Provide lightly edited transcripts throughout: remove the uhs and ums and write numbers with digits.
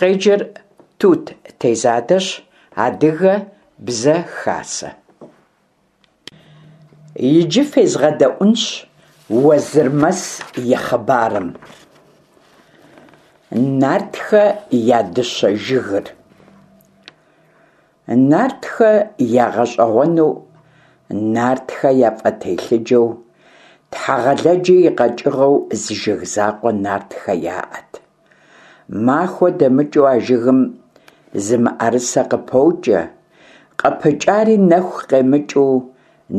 Къеджэр Тут Тезадэщ, Адыгэ Бзэ Хасэ. Иджы фезгъэдэӏунщ Уэзырмэс и хъыбарым. Нартхэ я дыщэ жыгыр. Нартхэ ягъэщӏэгъуэну, нартхэ яфӏэтелъыджэу, Тхьэгъэлэджи и къэкӏыгъэу зы жыг закъуэ нартхэ яӏэт. Махуэ дэмыкӏыу а жыгым зы мыӏэрысэ къыпокӏэ, къыпыкӏари нэху къемыкӏыу,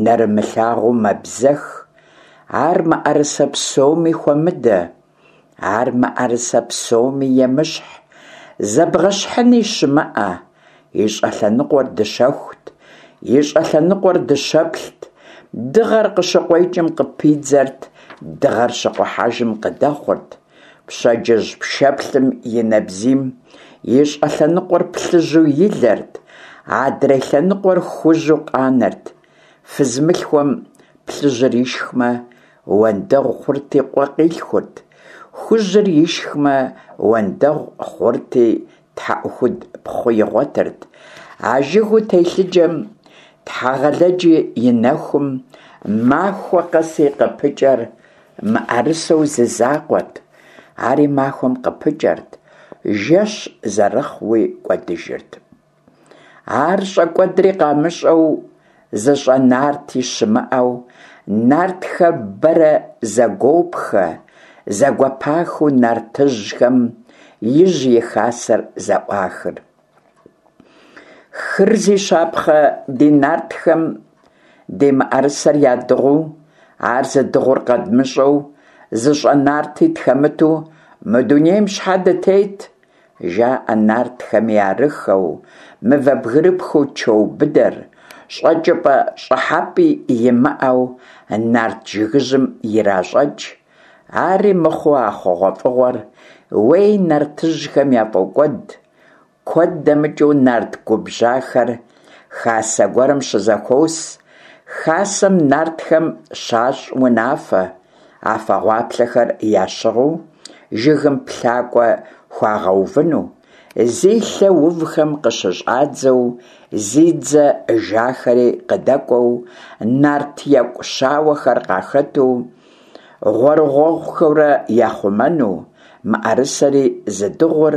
нэрымылъагъуу мэбзэх. Ар мыӏэрысэ псоми хуэмыдэ, ар мыӏэрысэ псоми емыщхь, зэбгъэщхьыни щымыӏэ. И щӏэлъэныкъуэр дыщэхут, и щӏэлъэныкъуэр дыщэплът, дыгъэр къыщыкъуэкӏым къыпидзэрт, дыгъэр щыкъухьэжым къыдэхъурт. Пщэдджыжь пшэплъым и нэбзийм и щӏэлъэныкъуэр плъыжьу илэрт, адрей лъэныкъуэр хужьу къанэрт. Фыз мылъхуэм плъыжьыр ишхмэ, уэндэгъу хъурти къуэ къилъхурт, хужьыр ишхмэ, уэндэгъу хъурти тхьэӏухуд пхъу игъуэтырт. А жыгыу телъыджэм Тхьэгъэлэджи и нэхум махуэ къэси къыпыкӏэр мыӏэрысэу зы закъуэт, ари махуэм къыпыкӏэрт, жэщ зэрыхъууи кӏуэдыжырт. Ар щӏэкӏуэдри къамыщӏэу, зыщӏэ нарти щымыӏэу, нартхэр бэрэ зэгуопхэ, зэгуэпахыу нартыжьхэм ижь и хасэр зэӏуахыр. Хыр зи щапхъэ ди нартхэм ди мыӏэрысэр ядыгъуу, ар зыдыгъур къэдмыщӏэу, зыщӏэ нарти тхэмыту мы дунейм щхьэ дытет? Жаӏэ нартхэми арыххэу, мывэ бгырыпхыу чоу быдэр, щӏэкӏыпӏэ-щӏыхьэпӏи имыӏэу нарт жыгыжьым иращӏэкӏ. Ари мыхъуу а хъугъуэфӏыгъуэр, уей, нартыжьхэм яфӏокӏуэд. Куэд дэмыкӏыу нарт губжьахэр хасэ гуэрым щызэхуос. Хасэм нартхэм щащӏ унафэ, афэ гъуаплъэхэр ящыгъыу жыгым плъакӏуэ хуагъэувыну, зи лъэ увхэм къыщыщӏадзэу зи дзэ жахэри къыдэкӏуэу, нарт екӏу щауэхэр къахэту, гъуэрыгъуэхъухэурэ яхъумэну, мыӏэрысэри зыдыгъур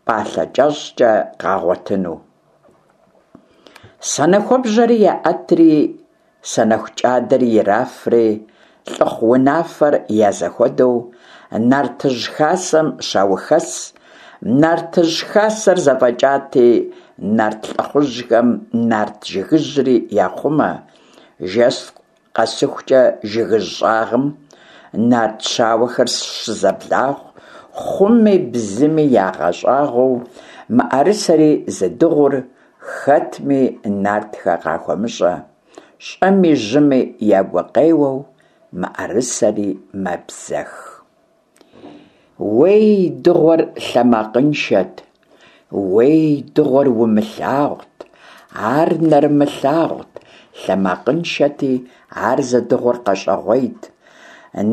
пӏалъэ кӏэщӏкӏэ къагъуэтыну. Санэхуэбжьэри яӏэтри, санэху кӏадэри ирафри, лӏыхъу унафэр я зэхуэдэу нартыжь хасэм щаухэс. Нартыжь хасэр зэфӏэкӏати, нарт лӏыхъужьхэм нарт жыгыжьри яхъумэ. Жэщ къэсыхукӏэ жыгыжь щӏагъым нарт щауэхэр щызэблахъу, хъуми бзыми ягъэщӏагъуэу, мыӏэрысэри зыдыгъур хэтми нартхэ къахуэмыщӏэ, щӏэми жьыми я гукъеуэу мыӏэрысэри мэбзэх. Уей, дыгъуэр лъэмакъыншэт, уей, дыгъуэр умылъагъут, ар нэрымылъагъут, лъэмакъыншэти, ар зыдыгъур къэщӏэгъуейт.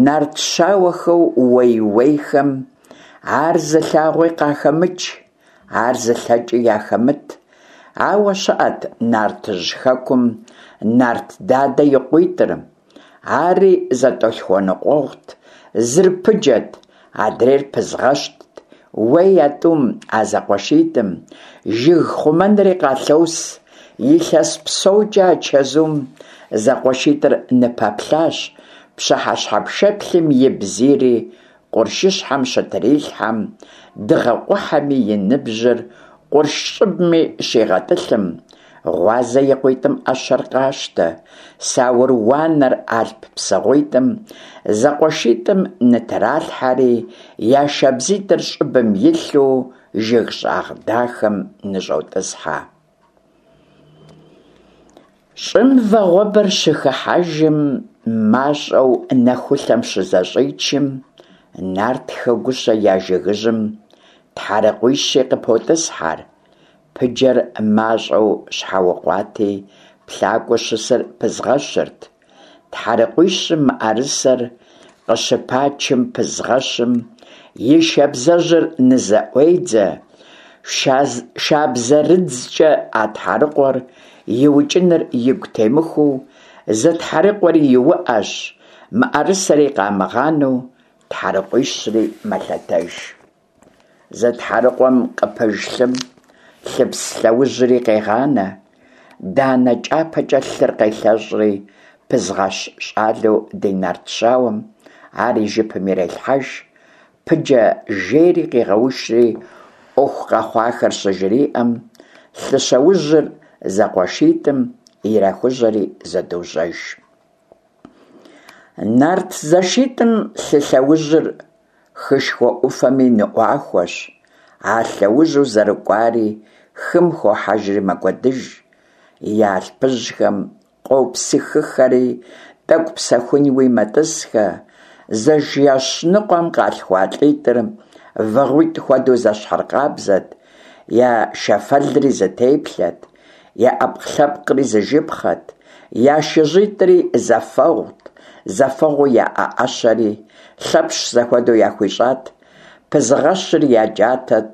Нарт щауэхэу уей-уейхэм ар зылъагъуи къахэмыкӏ, ар зылъэкӏи яхэмыт. Ауэ щыӏэт нартыжь хэкум нарт дадэ и къуитӏыр. Ари зэтӏолъхуэныкъуэгъут, зыр пыджэт, адрейр пызгъэщтт. Уей, а тӏум, а зэкъуэшитӏым, жыг хъумэнри къалъос. Илъэс псокӏэ а чэзум зэкъуэшитӏыр ныпэплъащ, пщыхьэщхьэ пшэплъым и бзийри къуршыщхьэм щытрилъхьэм, дыгъэ къухьэми и ныбжьыр къурш щӏыбми щигъэтӏылъым, Гъуазэ и къуитӏым ӏэщэр къащтэ, саур уанэр алъп псыгъуитӏым зэкъуэшитӏым нытралъхьэри, я шабзитӏыр щӏыбым илъу жыг щӏагъ дахэм ныщӏотӏысхьэ. Щӏым вагъуэбэр щыхыхьэжым, мащӏэу нэхулъэм щызэщӏичым, нартхэ гущэ я жыгыжьым тхьэрыкъуищи къыпотӏысхьэр. Пыджэр мащӏэу щхьэукъуати, плъакӏуэу щысыр пызгъэщырт. Тхьэрыкъуищым мыӏэрысэр къыщыпачым пызгъэщым и шабзэжьыр нызэӏуедзэ. Шабзэрыдзкӏэ а тхьэрыкъуэр иукӏыныр игу темыхуэу, зы тхьэрыкъуэри иуӏэщ, мыӏэрысэри къамыгъанэу, тхьэрыкъуищри мэлъэтэж. Зы тхьэрыкъуэм къыпыж лъым лъыпс лъэужьри къегъанэ. Данэ кӏапэкӏэ лъыр къелъэщӏри, пызгъэщ щӏалэу ди нарт щауэм ар и жыпым ирелъхьэж. Пыджэ жейри къигъэушри, ӏуэху къэхъуахэр щыжриӏэм, лъы лъэужьыр зэкъуэшитӏым ирахужьэри зэдожьэж. Нарт зэшитӏым лъы лъэужьыр хышхуэ ӏуфэми ныӏуахуэщ, а лъэужьу зэрыкӏуари хым хохьэжри мэкӏуэдыж. Я алъпыжьхэм къопсыхыхэри, тӏэкӏу псэхунуи мэтӏысхэ. Зы жэщ ныкъуэм къалъхуа лӏитӏыр вагъуитӏ хуэдэу зэщхьыркъабзэт, я шэфэлри зы теплъэт, я ӏэпкълъэпкъри зы жыпхъэт, я шыжьитӏри зэфэгъут, зэфэгъуу яӏэ ӏэщэри Лъэпщ зэхуэдэу яхуищӏат, пызыгъэщыр я джатэт,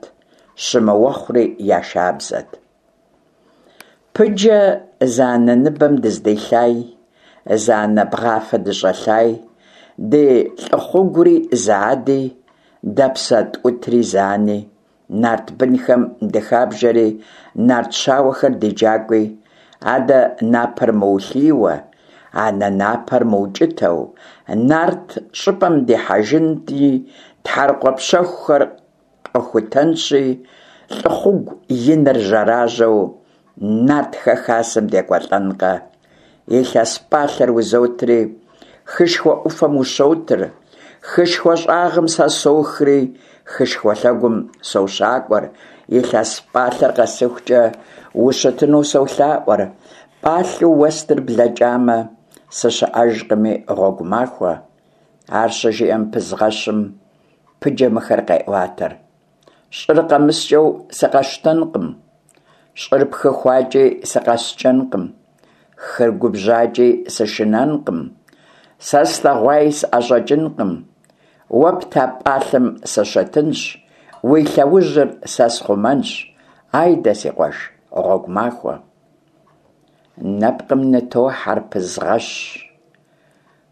щымыуэхъури я шабзэт. Пыджэ зы анэ ныбэм дыздилъай, зы анэ бгъафэ дыщӏэлъай, ди лӏыхъугури зы ади, дэ псэ тӏутри зы ани, нарт бынхэм дыхабжэри, нарт щауэхэр ди джакӏуи, адэ напэр мыулъийуэ, анэ напэр мыукӏытэу, нарт щӏыпӏэм дихьэжынти, тхьэрыкъуэ пщэхухэр къэхутэнщи, лӏыхъугу иныр жьэражьэу нартхэ хасэм декӏуэлӏэнкъэ. Илъэс пӏалъэр узотри, хышхуэ ӏуфэм ущотыр, хышхуэ щӏагъым сэ сохри, хышхуэ лъэгум сощакӏуэр, илъэс пӏалъэр къэсыхукӏэ ущытыну солъаӏуэр, пӏалъэу уэстыр блэкӏамэ, сыщыӏэжкъыми гъуэгу махуэ. Ар щыжиӏэм пызгъэщым Пыджэ мыхэр къеӏуатэр. Щӏыр къэмыскӏэу сыкъэщтэнкъым, щӏыр пхыхуакӏи сыкъэскӏэнкъым, хыр губжьакӏи сышынэнкъым, сэ слъэгъуаи сӏэщӏэкӏынкъым. Уэ пта пӏалъэм сыщытынщ, уи лъэужьыр сэ схъумэнщ. Айдэ, си къуэш, гъуэгу махуэ. Нэпкъым нытохьэр пызгъэщ.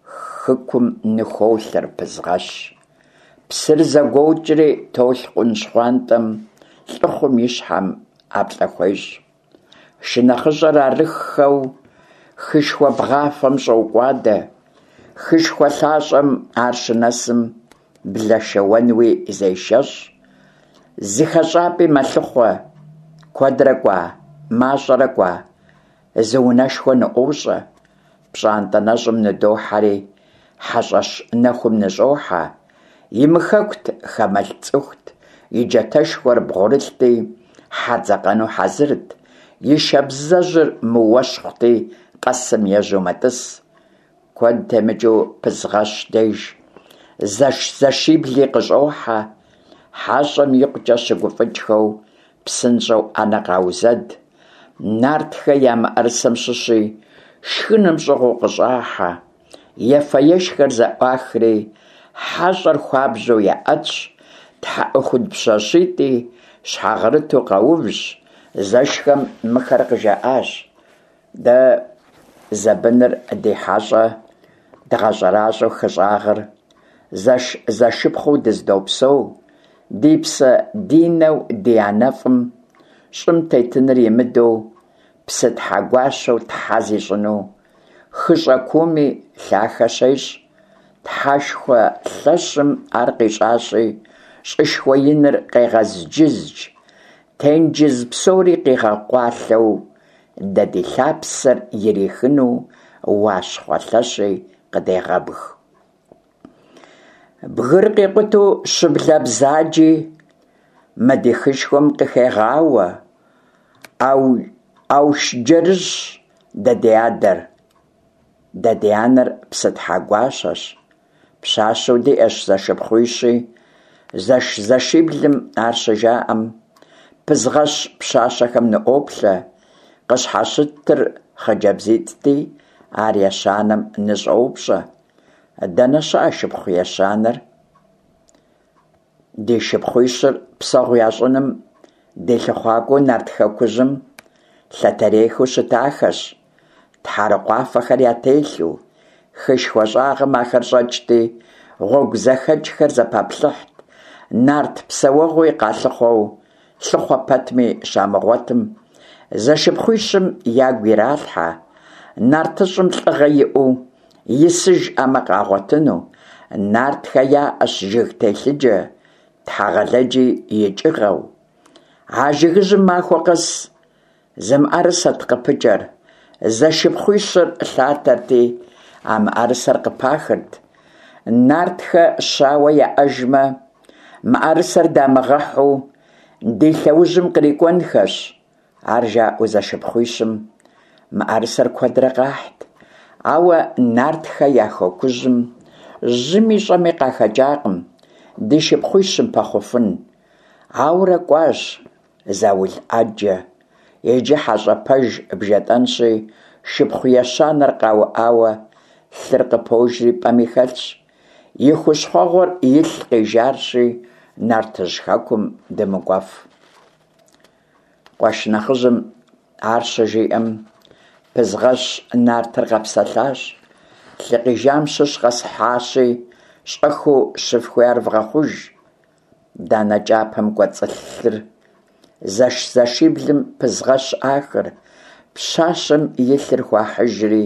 Хыкум ныхуолъэр пызгъэщ. Псыр зэгуокӏри толъкъун щхъуантӏэм лӏыхъум и щхьэм ӏэплӏэ хуещӏ. Шынэхъыщӏэр арыххэу хышхуэ бгъафэм щӏокӏуадэ. Хышхуэ лъащӏэм ар щынэсым блэшэуэнуи зешэщӏ. Зы хэщӏапӏи мэлъыхъуэ. Куэдрэ кӏуа, мащӏэрэ кӏуа, зы унэшхуэ ныӏуощӏэ. Пщӏантӏэ нэщӏым ныдохьэри, хьэщӏэщ нэхум ныщӏохьэ. Имыхэкут, хамэлӏ цӏыхут, и джатэшхуэр бгъурылъти, хьэ дзэкъэну хьэзырт, и шабзэжьыр мыуэщхъути, къэсым ежьэу мэтӏыс. Куэд темыкӏыу пызгъэщ деж зэш-зэшибли къыщӏохьэ, хьэщӏэм икъукӏэ щыгуфӏыкӏхэу псынщӏэу ӏэнэ къаузэд. Нартхэ я мыӏэрысэм щыщи шхыным щӏыгъуу къыщӏахьэ. Ефэ-ешхэр зэӏуахри, хьэщӏэр хуабжьу яӏэтщ, тхьэӏухуд пщащитӏи щхьэгъэрыту къэувщ, зэшхэм мыхэр къыжаӏащ. Дэ зэбыныр ди хьэщӏэ дгъэщӏэращӏэу хы щӏагъыр, зэш-зэшыпхъуу дыздопсэу, ди псэ ди нэу ди анэфӏым щӏым тетыныр имыдэу, Псытхьэгуащэу тхьэ зищӏыну, хыщӏэ кууми лъахэ щещӏ. Тхьэшхуэ лъэщым ар къищӏащи, щӏышхуэ иныр къегъэзджыздж, тенджыз псори къигъэкъуалъэу, дэ ди лъапсэр ирихыну Уащхъуэ лъэщи къыдегъэбг. Бгыр къикъутэу щыблэ бзаджи мы ди хышхуэм къыхегъауэ. Аушыджэрыжьщ дэ ди адэр, дэ ди анэр Псытхьэгуащэщ. Пщащэу диӏэщ зэшыпхъуищи, зэш-зэшиблым ар щыжаӏэм, пызгъэщ пщащэхэм ныӏуоплъэ, къыщхьэщытыр хъыджэбзитӏти, ар ещанэм ныщӏоупщӏэ. Дэнэ щыӏэ шыпхъу ещанэр? Ди шыпхъуищыр псэгъу ящӏыным Ди лъыхъуакӏуэу Нарт Хэкужьым лъэтэрейхэу щытахэщ, тхьэрыкъуафэхэр ятелъу. Хышхуэ щӏагъым ахэр щӏэкӏти, гъуэгу зэхэкӏхэр зэпаплъыхьт, нарт псэуэгъуи къалъыхъуэу, лъыхъуэ пэтми щамыгъуэтым, зэшыпхъуищым ягу иралъхьэ, нартыщӏым лӏыгъэ иӏэу исыжӏэмэ къагъуэтыну. Нартхэ яӏэщ жыг телъыджэ, Тхьэгъэлэджи и кӏыгъэу. А жыгыжьым махуэ къэс зы мыӏэрысэт къыпыкӏэр. Зэшыпхъуищыр лъатэрти, а мыӏэрысэр къыпахырт. Нартхэ щауэ яӏэжмэ, мыӏэрысэр дамыгъэхьу, ди лъэужьым кърикӏуэнхэщ. Ар жаӏэу зэшыпхъуищым мыӏэрысэр куэдрэ къахьт, ауэ нартхэ я хэкужьым жьыми щӏэми къахэкӏакъым ди шыпхъуищым пэхъуфын. Ауэрэ кӏуащ заул ӏэджэ. Иджы хьэщӏэ пэж бжетӏэнщи, шыпхъу ещанэр къауӏауэ, лъыр къыпожри пӏэми хэлъщ. И хущхъуэгъуэр илъ къижарщи, нартыжь хэкум дымыкӏуэф. Къуэш нэхъыжьым ар щыжиӏэм, Пызгъэщ нартыр къэпсэлъащ. Лъы къижам щыщ къэсхьащи, щӏэхыу щыфхуи ар вгъэхъуж. Данэ кӏапэм кӏуэцӏылъ лъыр зэш-зэшиблым Пызгъэщ ӏахыр, пщащэм и лъыр хуахьыжри,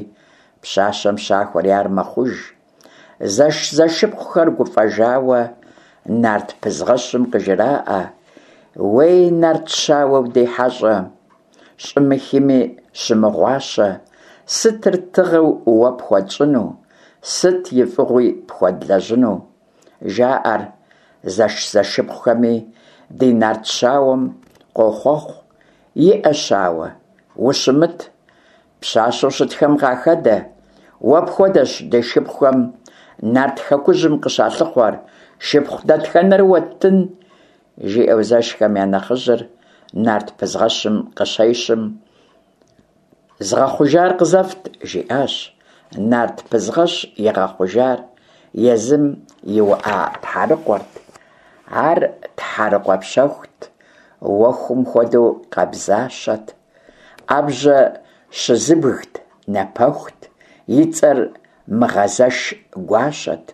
пщащэм щахуэри ар мэхъуж. Зэш-зэшыпхъухэр гуфӏэжауэ нарт Пызгъэщым къыжраӏэ: Уей, нарт щауэу ди хьэщӏэ, щӏыми хыми щымыгъуащэ, сытыр тыгъэу уэ пхуэтщӏыну, сыт и фӏыгъуи пхуэдлэжьыну? Жаӏэр зэш-зэшыпхъухэми ди нарт щауэм къохъуэхъу: Иӏэ, щауэ, ущымыт, Пщащэу щытхэм къахэдэ, уэ пхуэдэщ ди шыпхъухэм Нарт Хэкужьым къыщалъыхъуэр, шыпхъу дэтхэнэр уэттын? жиӏэу зэшхэм я нэхъыжьыр нарт Пызгъэщым къыщещым, Згъэхъужар къызэфт, жиӏащ. Нарт Пызгъэщ игъэхъужар езым иуӏа тхьэрыкъуэрт. Ар тхьэрыкъуэ пщэхут, уэхум хуэдэу къабзащэт. ӏэбжьэ щызыбгт, напэхут, и цӏэр Мыгъэзэш гуащэт.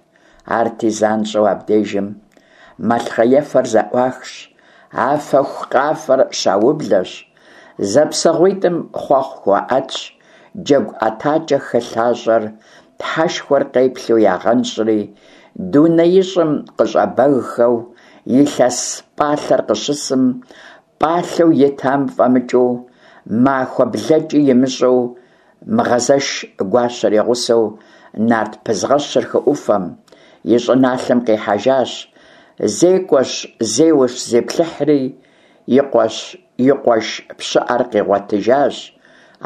Арти занщӏэу абдежым малъхъэефэр зэӏуахщ, афэху къафэр щаублэщ, зэпсэгъуитӏым хъуэхъу хуаӏэтщ, джэгу ӏэтакӏэ хы лъащӏэр Тхьэшхуэр къеплъу ягъэнщӏри, дунеищӏым къыщӏэбэгхэу илъэс пӏалъэр къыщысым, Пӏалъэу итам фӏэмыкӏыу, махуэ блэкӏи имыщӏэу, Мыгъэзэш гуащэр и гъусэу нарт Пызгъэщыр хы ӏуфэм, и щӏыналъэм къихьэжащ. Зекӏуэщ, зеуэщ, зиплъыхьри, и къуэщ, и къуэш пщыӏэр къигъуэтыжащ.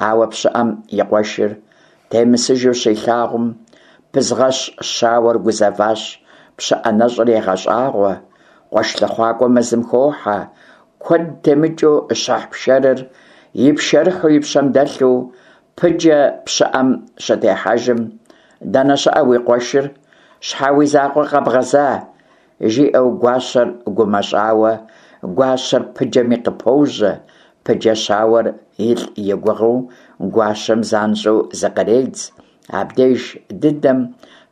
Ауэ пщыӏэм и къуэшыр темысыжу щилъагъум, Пызгъэщ щауэр гузэващ, пщыӏэ нэщӏыр егъэщӏагъуэ. Къуэш лъыхъуакӏуэ мэзым хохьэ, куэд темыкӏыу щыхь пшэрыр и пшэрыхьу и пщэм дэлъу, Пыджэ пщыӏэм щытехьэжым, Дэнэ щыӏэ уи къуэшыр? Щхьэ уи закъуэ къэбгъэза? жиӏэу гуащэр гумэщӏауэ, гуащэр Пыджэми къыпожьэ. Пыджэ щауэр илӏ и гугъэу гуащэм занщӏэу зыкъредз. Абдеж дыдэм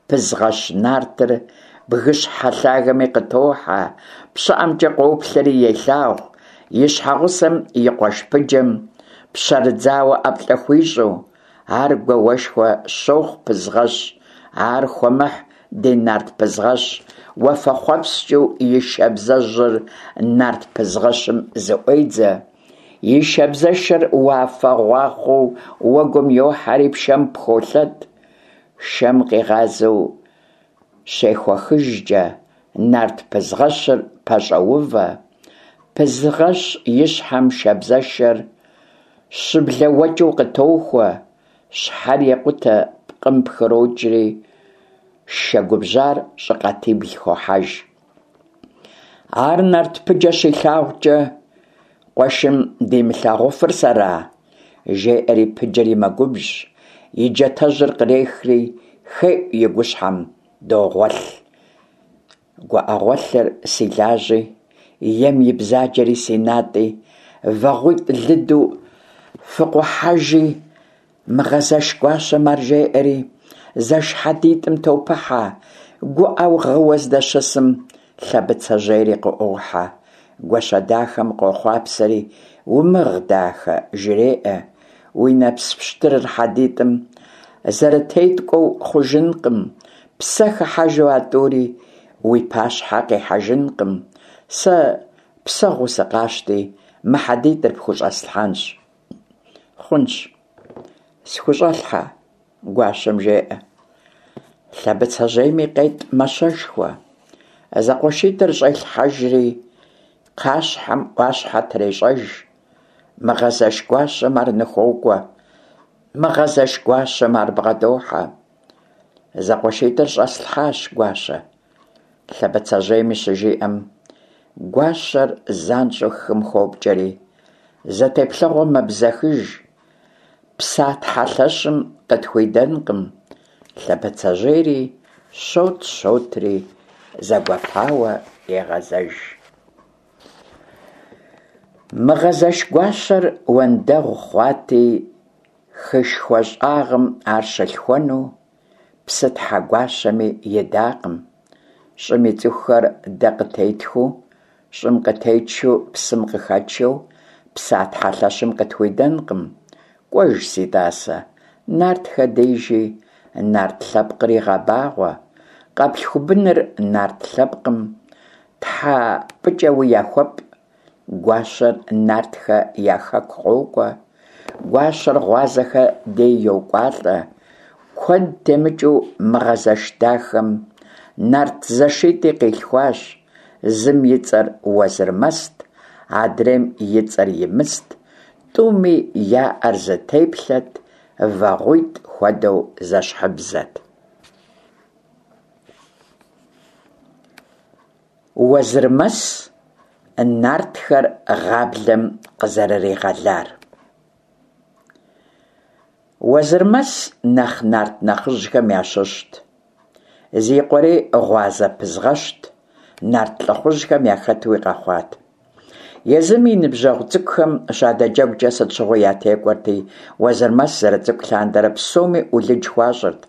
Пызгъэщ нартыр бгыщхьэ лъагэми къытохьэ, пщыӏэмкӏэ къоплъэри елъагъу, и щхьэгъусэм и къуэш Пыджэм пщэрыдзауэ ӏэплӏэ хуищӏу. Ар гуауэшхуэ щохъу Пызгъэщ, ар хуэмыхь ди нарт Пызгъэщ, уафэхъуэпскӏыу и шабзэжьыр нарт Пызгъэщым зыӏуедзэ. И шабзэшэр уафэ гъуахъуэу уэгум йохьэри пшэм пхолъэт. Шэм къигъазэу щехуэхыжкӏэ, нарт Пызгъэщыр пэщӏэувэ. Пызгъэщ и щхьэм шабзэшэр щыблэуэкӏыу къытохуэ, щхьэр екъутэ пкъым пхырокӏри, шэ губжьар щӏыкъатибл хохьэж. Ар нарт Пыджэ щилъагъукӏэ, къуэшым димылъагъуфыр сэра? Жеӏэри Пыджэри мэгубжь, и джатэжьыр кърехри, хеӏу и гущхьэм, догъуэлъ. Гуӏэгъуэлъыр си лажьи. Ем и бзаджэри си натӏи, вагъуитӏ лыду фыкъухьэжи, Мыгъэзэш гуащэм ар жеӏэри, зэш хьэдитӏым топыхьэ, гуӏэу гъыуэ здэщысым, Лъэбыцэжьейри къыӏуохьэ. Гуащэ дахэм къохъуапсэри, умыгъ, дахэ, жреӏэ, уи нэпс пщтырыр хьэдитӏым зэрытеткӏуэу хъужынкъым, псэ хыхьэжу а тӏури уи пащхьэ къихьэжынкъым, сэ псэгъуу сыкъащти, мы хьэдитӏыр пхущӏэслъхьэнщ. Хъунщ, схущӏэлъхьэ, гуащэм жеӏэ. Лъэбыцэжьейми къетӏ мащэшхуэ. Зэкъуэшитӏыр щӏелъхьэжри, кхъащхьэм ӏуащхьэ трещӏэж. Мыгъэзэш гуащэм ар ныхуокӏуэ. Мыгъэзэш гуащэм ар бгъэдохьэ. Зэкъуэшитӏыр щӏэслъхьащ, гуащэ. Лъэбыцэжьейми щыжиӏэм, гуащэр занщӏэу хым хопкӏэри, зэ теплъэгъуэм мэбзэхыж, Псатхьэ лъэщым къытхуидэнкъым. Лъэбыцэжьейри щот-щотри зэгуэпауэ егъэзэж. Мыгъэзэш гуащэр уэндэгъу хъуати, хышхуэ щӏагъым ар щылъхуэну Псытхьэ гуащэми идакъым. Щӏым и цӏыхухэр дэ къытетхыу, щӏым къытетшу псым къыхэтшэу, Псатхьэ лъэщым къытхуидэнкъым. Кӏуэж, си тӏасэ, нартхэ дежи, нарт лъэпкъри гъэбагъуэ, къэплъху быныр нарт лъэпкъым тхьэ пӏыкӏэуи яхуэпӏ. Гуащэр нартхэ я хэку къокӏуэ, гуащэр гъуазэхэ дей йокӏуалӏэ. Куэд темыкӏыу Мыгъэзэш дахэм нарт зэшитӏи къилъхуащ, зым и цӏэр Уэзырмэст, адрейм и цӏэр Имыст, тӏуми яӏэр зы теплъэт, вагъуитӏ хуэдэу зэщхьыбзэт. Уэзырмэс нартхэр гъаблэм къызэрыригъэлар. Уэзырмэс нэхъ нарт нэхъыжьхэм ящыщт. Зи къуэри гъуазэ пызгъэщт, нарт лӏыхъужьхэм яхэтуи къэхъуат. Езым и ныбжьэгъу цӏыкӏухэм щадэджэгукӏэ сыт щыгъуи ятекӏуэрти, Уэзырмэс зэрыцӏыкӏу лъандэрэ псоми ӏулыдж хуащӏырт,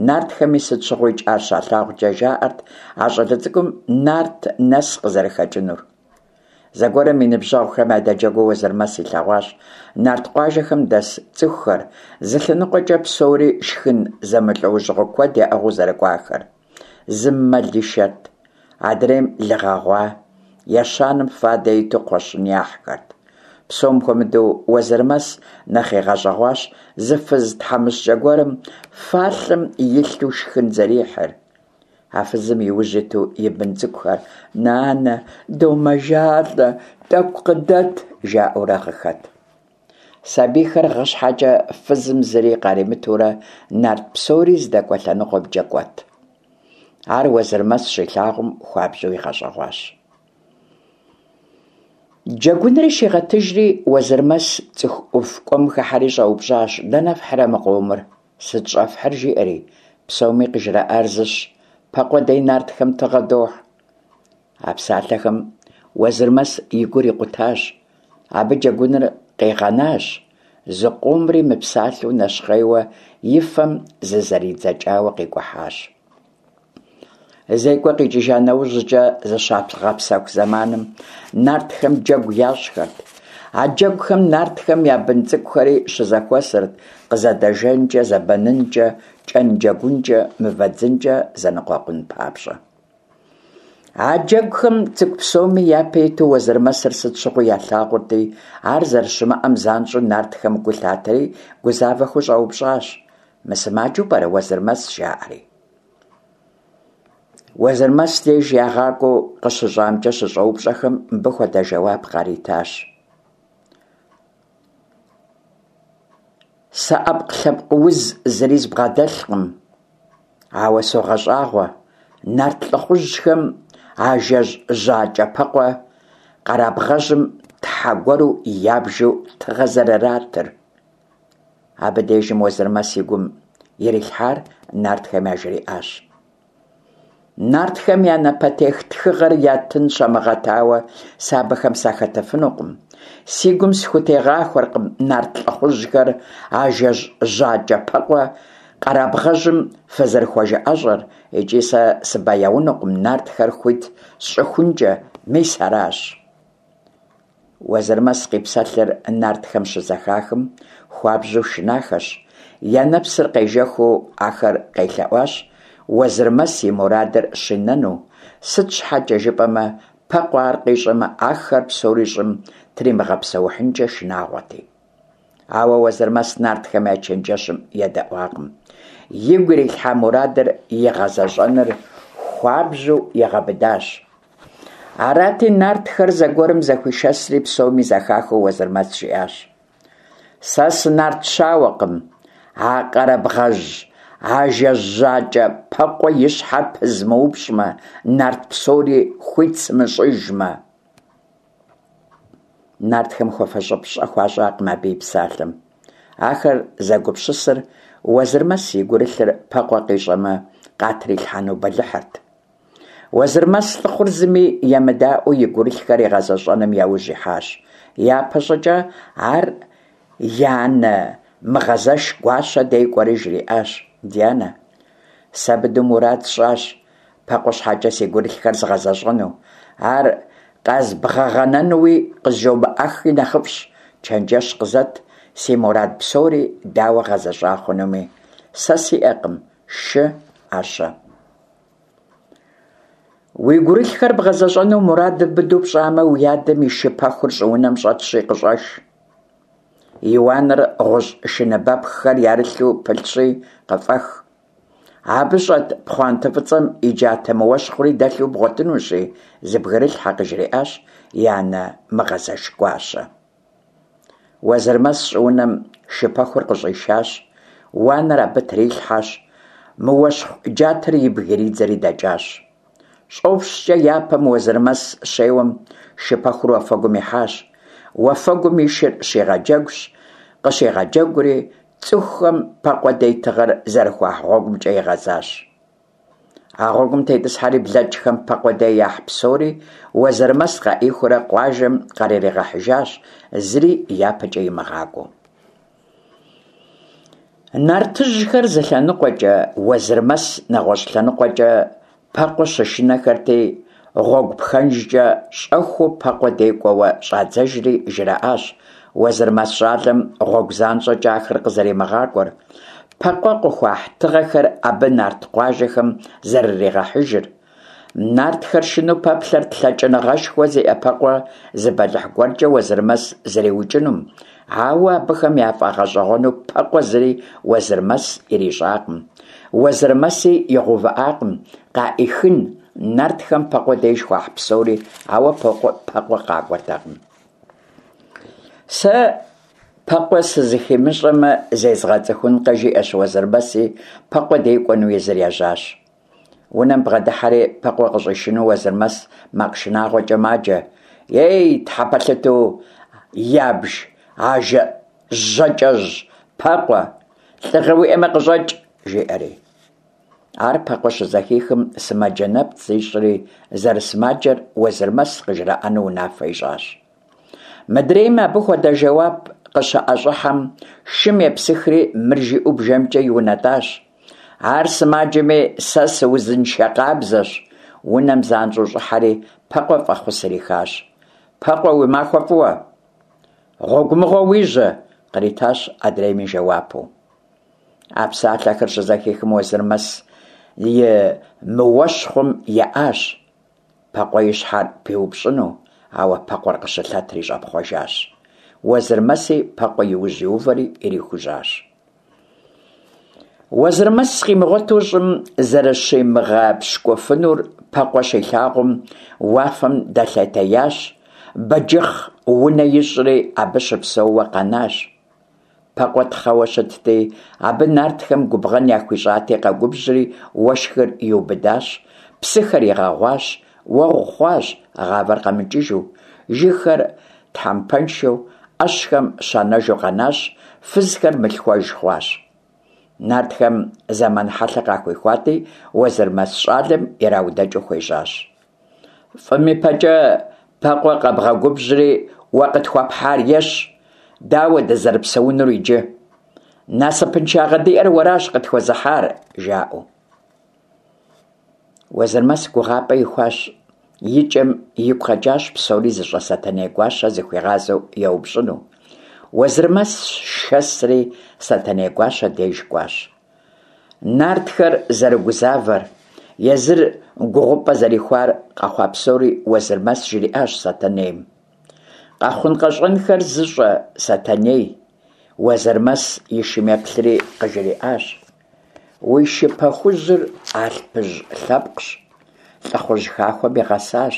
нартхэми сыт щыгъуикӏ ар щалъагъукӏэ жаӏэрт а щӏалэ цӏыкӏум нарт нэс къызэрыхэкӏынур. Зэгуэрым и ныбжьэгъухэм ядэджэгуу Уэзырмэс илъэгъуащ нарт къуажэхэм дэс цӏыхухэр зы лъэныкъуэкӏэ псори шхын зэмылӏэужьыгъуэ куэд яӏыгъыу зэрыкӏуахэр. Зым мэл ишэрт, адрейм лы гъэгъуа, ещанэм фадэ иту кхъуэщын яхьхэрт. Псом хуэмыдэу Уэзырмэс нэхъ игъэщӏэгъуащ зы фыз тхьэмыщкӏэ гуэрым фалъэм илъу шхын зэрихьыр. А фызым и ужь иту и бын цӏыкӏухэр Нанэ, домэжалӏэ, тӏэкӏу къыдэт, жаӏэурэ гъыхэт. Сабийхэр гъы щхьэкӏэ фызым зыри къаримытурэ нарт псори здэкӏуэ лъэныкъуэмкӏэ кӏуэт. Ар Уэзырмэс щилъагъум хуабжьу игъэщӏэгъуащ. Джэгунри щигъэтыжри, Уэзырмэс цӏыху ӏув кӏуэм хыхьэри щӏэупщӏащ, дэнэ фхьырэ мы къомыр, сыт щӏэфхьыр, жиӏэри. Псоми къыжраӏар зыщ, Пэкъуэ дей нартхэм тыгъэ дохь. А псалъэхэм Уэзырмэс и гур икъутащ. Абы джэгуныр къигъэнащ, зыкъомри мыпсалъэу нэщхъейуэ и фэм зызэридзэкӏауэ къикӏухьащ. Зекӏуэ къикӏыжа нэужькӏэ зыщагъэпсэху зэманым нартхэм джэгу ящӏхэрт. А джэгухэм нартхэм я бын цӏыкӏухэри щызэхуэсырт къызэдэжэнкӏэ, зэбэнынкӏэ, кӏэн джэгункӏэ, мывэ дзынкӏэ зэныкъуэкъун папщӏэ. А джэгухэм цӏыкӏу псоми япэ иту Уэзырмэсыр сыт щыгъуи ялъагъурти, ар зэрыщымыӏэм занщӏэу нартхэм гу лъатэри гузавэхэу щӏэупщӏащ, Мысымаджэу пӏэрэ Уэзырмэс? жаӏэри. Уэзырмэс деж ягъакӏуэу къыщыщӏамкӏэ щыщӏэупщӏэхэм мыбы хуэдэ жэуап къаритащ. Сэ ӏэпкълъэпкъ уз зыри збгъэдэлъкъым, ауэ согъэщӏагъуэ нарт лӏыхъужьхэм ажэжь жьакӏэ Пэкъуэ къэрабгъэжьым тхьэ гуэру ябжу тыгъэ зэрыратыр. Абы дежым Уэзырмэс и гум ирилъхьар нартхэм яжриӏащ. Нартхэм я напэтех тхыгъэр ятын щамыгъэтауэ, сэ абыхэм сахэтыфынукъым. Си гум схутегъахуэркъым нарт лӏыхъужьхэр ажэжь жьакӏэ Пэкъуэ къэрабгъэжьым фызэрыхуэжыӏэщӏэр, икӏи сэ сыбэяунукъым нартхэр хуит сщӏыхункӏэ, мис аращ. Уэзырмэс къипсэлъыр нартхэм щызэхахым, хуабжьу шынахэщ, я нэпсыр къежэхыу ахэр къелъэӏуащ Уэзырмэс и мурадыр щинэну, сыт щхьэкӏэ жыпӏэмэ, Пэкъуэ ар къищӏэмэ, ахэр псори щӏым тримыгъэпсэухьынкӏэ шынагъуэти. Ауэ Уэзырмэс нартхэм я чэнджэщым едэӏуакъым. Игу ирилъхьа мурадыр игъэзэщӏэныр хуабжьу игъэбыдащ. Арати, нартхэр зэгуэрым зэхуишэсри псоми зэхахыу Уэзырмэс жиӏащ: Сэ сынарт щауэкъым, а къэрабгъэжь ажэжь жьакӏэ Пэкъуэ и щхьэр пызмыупщӏмэ, нарт псори хуит сымыщӏыжмэ. Нартхэм хуэфэщэн пщӏэ хуащӏакъым абы и псалъэм. Ахэр зэгупсысыр Уэзырмэс и гурылъыр Пэкъуэ къищӏэмэ, къатрилъхьэну бэлыхьырт. Уэзырмэс лӏыхъур зыми емыдаӏуэу и гурылъхэр игъэзэщӏэным яужь ихьащ. Япэщӏыкӏэ ар и анэ Мыгъэзэш Гуащэ дей кӏуэри жриӏащ: Ди анэ, сэ быдэу мурад сщӏащ Пэкъуэ щхьэкӏэ си гурылъхэр згъэзэщӏэну. Ар къэзбгъэгъэнэнуи къызжомыӏэххи нэхъыфӏщ, чэнджэщ къызэт, си мурад псори дауэ гъэзэщӏа хъунуми. Сэ сиӏэкъым шы, ӏэщэ. Уи гурылъхэр бгъэзэщӏэну мурадыр быдэу пщӏамэ, уи адэм и шы пэхур щӏыунэм щӏэтщи, къыщӏэш. И уанэр гъущӏ шыныбэпххэр ярылъу пылъщи, къыфӏэх. Абы щӏэт пхъуантэ фӏыцӏэм и джатэ мыуэщхъури дэлъу бгъуэтынущи, зыбгрылъхьэ, къыжриӏащ и анэ Мыгъэзэш Гуащэ. Уэзырмэс щӏыунэм шы пэхур къыщӏишащ, уанэр абы трилъхьэщ, мыуэщхъу джатэр ибг иридзэри дэкӏащ. Щӏопщкӏэ япэм Уэзырмэс щеуэм, шы пэхур уафэгум ихьащ. Уафэгум и шыр щигъэджэгущ, къыщигъэджэгури, цӏыхухэм Пэкъуэ дей тыгъэр зэрыхуахь гъуэгумкӏэ игъэзащ. А гъуэгум тетӏысхьэри блэкӏхэм Пэкъуэ дей яхь псори Уэзырмэс къаӏихыурэ къуажэм къарыригъэхьыжащ, зыри япэкӏэ имыгъакӏуэу. Нартыжьхэр зы лъэныкъуэкӏэ, Уэзырмэс нэгъуэщӏ лъэныкъуэкӏэ Пэкъуэ щышынэхэрти, гъуэгу пхэнжкӏэ щӏэхыу Пэкъуэ дей кӏуэуэ щӏадзэжри жраӏащ Уэзырмэс щӏалэм гъуэгу занщӏэкӏэ ахэр къызэримыгъакӏуэр, Пэкъуэ къыхуахь тыгъэхэр абы нарт къуажэхэм зэрыригъэхьыжыр. Нартхэр шынэу пэплъэрт лъэкӏыныгъэшхуэ зиӏэ Пэкъуэ зы бэлыхь гуэркӏэ Уэзырмэс зэриукӏынум, ауэ абыхэм яфӏэгъэщӏэгъуэну Пэкъуэ зыри Уэзырмэс ирищӏакъым. Уэзырмэси игъэувыӏакъым къаӏихын нартхэм Пэкъуэ деж хуахь псори, ауэ Пэкъуэ къакӏуэртэкъым. Сэ Пэкъуэ сызыхимыщӏэмэ, зезгъэцӏыхункъэ, жиӏэщ Уэзырмэси, Пэкъуэ дей кӏуэну езыр ежьащ. Унэм бгъэдыхьэри, Пэкъуэ къыщӏишыну Уэзырмэс макъ шынагъуэкӏэ маджэ: Ей, тхьэпэлъытэу ябж ажэ жьакӏэжь Пэкъуэ, лӏыгъэ уиӏэмэ къыщӏэкӏ! жиӏэри. Ар Пэкъуэ щызэхихым, сымаджэ нэпцӏ зищӏри, зэрысымаджэр Уэзырмэс къыжраӏэну унафэ ищӏащ. Мыдрейм абы хуэдэ жэуап къыщыӏэщӏыхьэм, шым епсыхри мыр жиӏэу бжэмкӏэ иунэтӏащ. Ар сымаджэми, сэ сыузыншэ къабзэщ. Унэм занщӏэу щӏыхьэри, Пэкъуэ фӏэхъус ирихащ. Пэкъуэ, уи махуэ фӏыуэ! Гъуэгу мыгъуэ уижьэ! къритащ адрейми жэуапу. А псалъэхэр щызэхихым Уэзырмэс и мыуэщхъум еӏащ. Пэкъуэ и щхьэр пиупщӏыну, ауэ Пэкъуэр къыщылъэтри щӏэпхъуэжащ. Уэзырмэси Пэкъуэ и ужь иувэри ирихужьащ. Уэзырмэс къимыгъуэту щӏым зэрыщимыгъэпщкӏуфынур Пэкъуэ щилъагъум, уафэм дэлъэтеящ, бэджыхъ унэ ищӏри абы щыпсэууэ къэнащ. Пэкъуэ тхъэуэ щытти, абы нартхэм губгъэн яхуищӏати къэгубжьри уэшхыр иубыдащ, псыхэр игъэгъуащ, уэгъу хъуащ, гъавэр къэмыкӏыжу, жыгхэр тхьэмпэншэу, ӏэщхэм щанэжу къэнащ, фызхэр мылъхуэж хъуащ. Нартхэм зэман хьэлъэ къахуихуати, Уэзырмэс щӏалэм ираудэкӏыу хуежьащ. Фӏым и пэкӏэ Пэкъуэ къэбгъэгубжьри уэ къытхуэпхьар ещ, дауэ дызэрыпсэунур иджы? Насыпыншагъэ диӏэр уэращ къытхуэзыхьар, жаӏэу. Уэзырмэс гугъапӏэ ихуащ, и кӏэм игу къэкӏащ псори зыщӏэ Сэтэней гуащэ зыхуигъазэу еупщӏыну. Уэзырмэс шэсри Сэтэней гуащэ деж кӏуащ. Нартхэр зэрыгузавэр, езыр гугъупӏэ зэрихуар къэхъуа псори Уэзырмэс жриӏащ Сэтэнейм. Къэхъун-къэщӏэнхэр зыщӏэ Сэтэней, Уэзырмэс и шым еплъри къыжриӏащ. Уи шы пэхужьыр алъпыжь лъэпкъщ, лӏыхъужь хахуэм игъэсащ.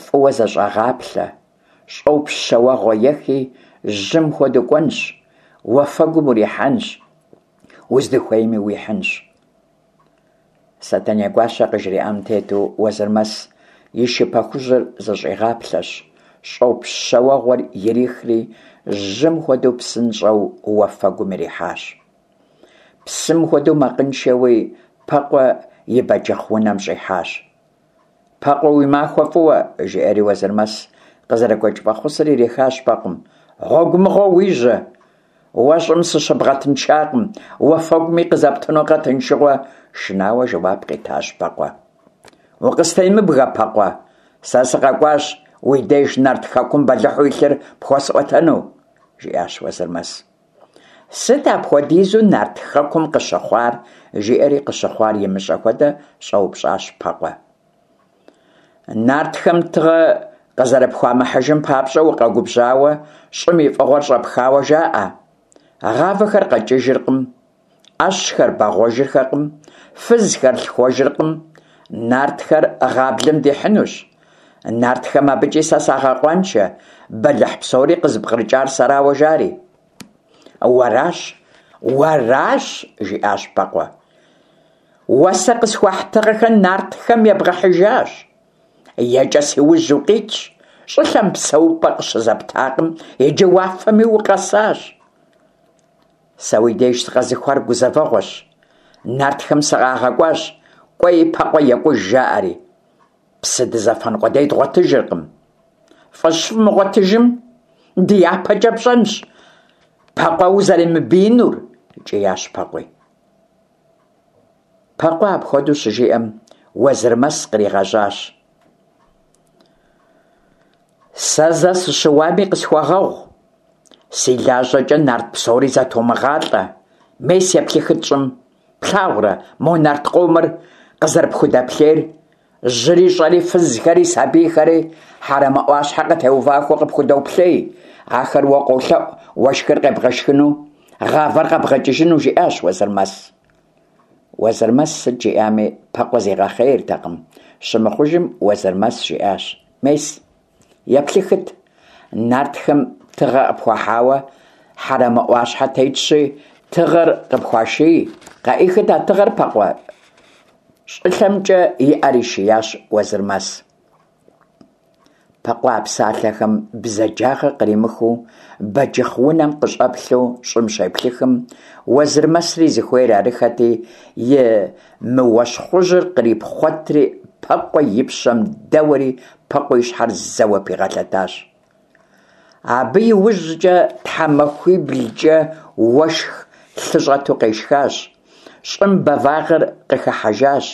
Фӏыуэ зэщӏэгъаплъэ, щӏопщ щэуэгъуэ ехи, жьым хуэдэу кӏуэнщ, уафэгум урихьэнщ, уздыхуейми уихьынщ. Сэтэней гуащэ къыжриӏам тету Уэзырмэс и шы пэхужьыр зэщӏигъаплъэщ, щӏопщ щэуэгъуэр ирихри, жьым хуэдэу псынщӏэу уафэгум ирихьащ. Псым хуэдэу макъыншэуи Пэкъуэ и бэджыхъ унэм щӏихьащ. Пэкъуэ уи махуэ фӏыуэ, жиӏэри Уэзырмэс къызэрыгуэкӏ фӏэхъусыр ирихащ Пэкъум. Гъуэгу мыгъуэ уижьэ! Уэ щӏым сыщыбгъэтыншакъым, уафэгуми къызэптынукъэ тыншыгъуэ, шынауэ жэуап къитащ Пэкъуэ. Укъыстемыбгэ, Пэкъуэ, сэ сыкъэкӏуащ уи деж Нарт Хэкум бэлыхьу илъыр пхуэсӏуэтэну, жиӏащ Уэзырмэс. Сыт апхуэдизу Нарт Хэкум къыщыхъуар? жиӏэри къыщыхъуар имыщӏэ хуэдэ щӏэупщӏащ Пэкъуэ. Нартхэм тыгъэ къызэрыпхуамыхьыжым папщӏэ укъэгубжьауэ, щӏым и фӏыгъуэр щӏэпхауэ жаӏэ. Гъавэхэр къэкӏыжыркъым, ӏэщхэр бэгъуэжырхэкъым, фызхэр лъхуэжыркъым, нартхэр гъаблэм дихьынущ. Нартхэм абыкӏи сэ сагъэкъуаншэ, бэлыхь псори къызыпкърыкӏар сэрауэ жари. Уэращ, уэращ, жиӏащ Пэкъуэ. Уэ сэ къысхуахь тыгъэхэр нартхэм ебгъэхьыжащ. Екӏэ си ужь укъитщ, щӏылъэм псэупӏэ къыщызэптакъым, иджы уафэми укъэсащ. Сэ уи деж сыкъэзыхуар гузэвэгъуэщ. Нартхэм сыкъагъэкӏуащ, кӏуэи Пэкъуэ екӏуж, жаӏэри. Псы дызэфэн къудей дгъуэтыжыркъым. Фӏы щывмыгъуэтыжым, ди япэкӏэ пщӏэнщ, Пэкъуэ узэремыбиинур, кӏиящ Пэкъуи. Пэкъуэ апхуэдэу щыжиӏэм, Уэзырмэс къригъэжьащ. Сэ зэ сыщыуами къысхуэгъэгъу. Си лажьэкӏэ нарт псори зэтомыгъалӏэ. Мес еплъыхыт щӏым. Плъагъурэ мо нарт къомыр къызэрыпхудэплъейр? Жьыри щӏэри, фызхэри, сабийхэри Хьэрэмэ ӏуащхьэ къытеувахэу къыпхудоплъей. Ахэр уэ къолъэӏу уэшхыр къебгъэшхыну, гъавэр къэбгъэкӏыжыну, жиӏащ Уэзырмэс. Уэзырмэс сыт жиӏами, Пэкъуэ зигъэхъейртэкъым. Щымыхъужым, Уэзырмэс жиӏащ: Мес, еплъыхыт, нартхэм тыгъэ къыпхуахьауэ Хьэрэмэ ӏуащхьэ тетщи, тыгъэр къыпхуаший. Къаӏихыт а тыгъэр, Пэкъуэ. Щӏылъэмкӏэ и ӏэр ишиящ Уэзырмэс. Пэкъуэ а псалъэхэм бзаджагъэ къримыхыу бэджыхъ унэм къыщӏэплъу щӏым щеплъыхым, Уэзырмэсри зыхуейр арыххэти, и мыуэщхъужьыр кърипхъуэтри Пэкъуэ и пщэм дэуэри Пэкъуэ и щхьэр зэуэ пигъэлъэтащ. Абы и ужькӏэ тхьэмахуиблкӏэ уэшх лъы щӏэту къешхащ. Щӏым бэвагъыр къыхыхьэжащ,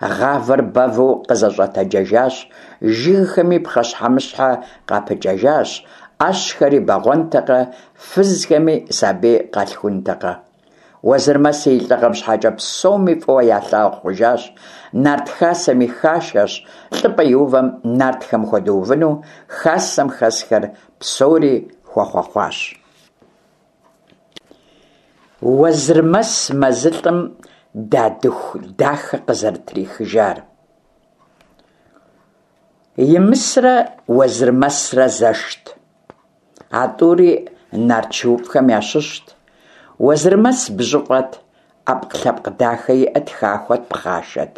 гъавэр бэву къызэщӏэтэджэжащ, жыгхэми пхъэщхьэмыщхьэ къапыкӏэжащ, ӏэщхэри бэгъуэнтэкъэ, фызхэми сабий къалъхунтэкъэ. Уэзырмэси и лӏыгъэм щхьэкӏэ псоми фӏыуэ ялъагъу хъужащ, нарт хасэми хашэщ, лӏыпӏэ иувэм нартхэм хуэдэувыну хасэм хэсхэр псори хуэхъуэхъуащ. Уэзырмэс мэзылӏым Дадыху дахэ къызэрытрихыжар. Имысрэ Уэзырмэсрэ зэшт. А тӏури нарт шууфӏхэм ящыщт. Уэзырмэс бжьыфӏэт, ӏэпкълъэпкъ дахэ иӏэт, хахуэт, пхъашэт.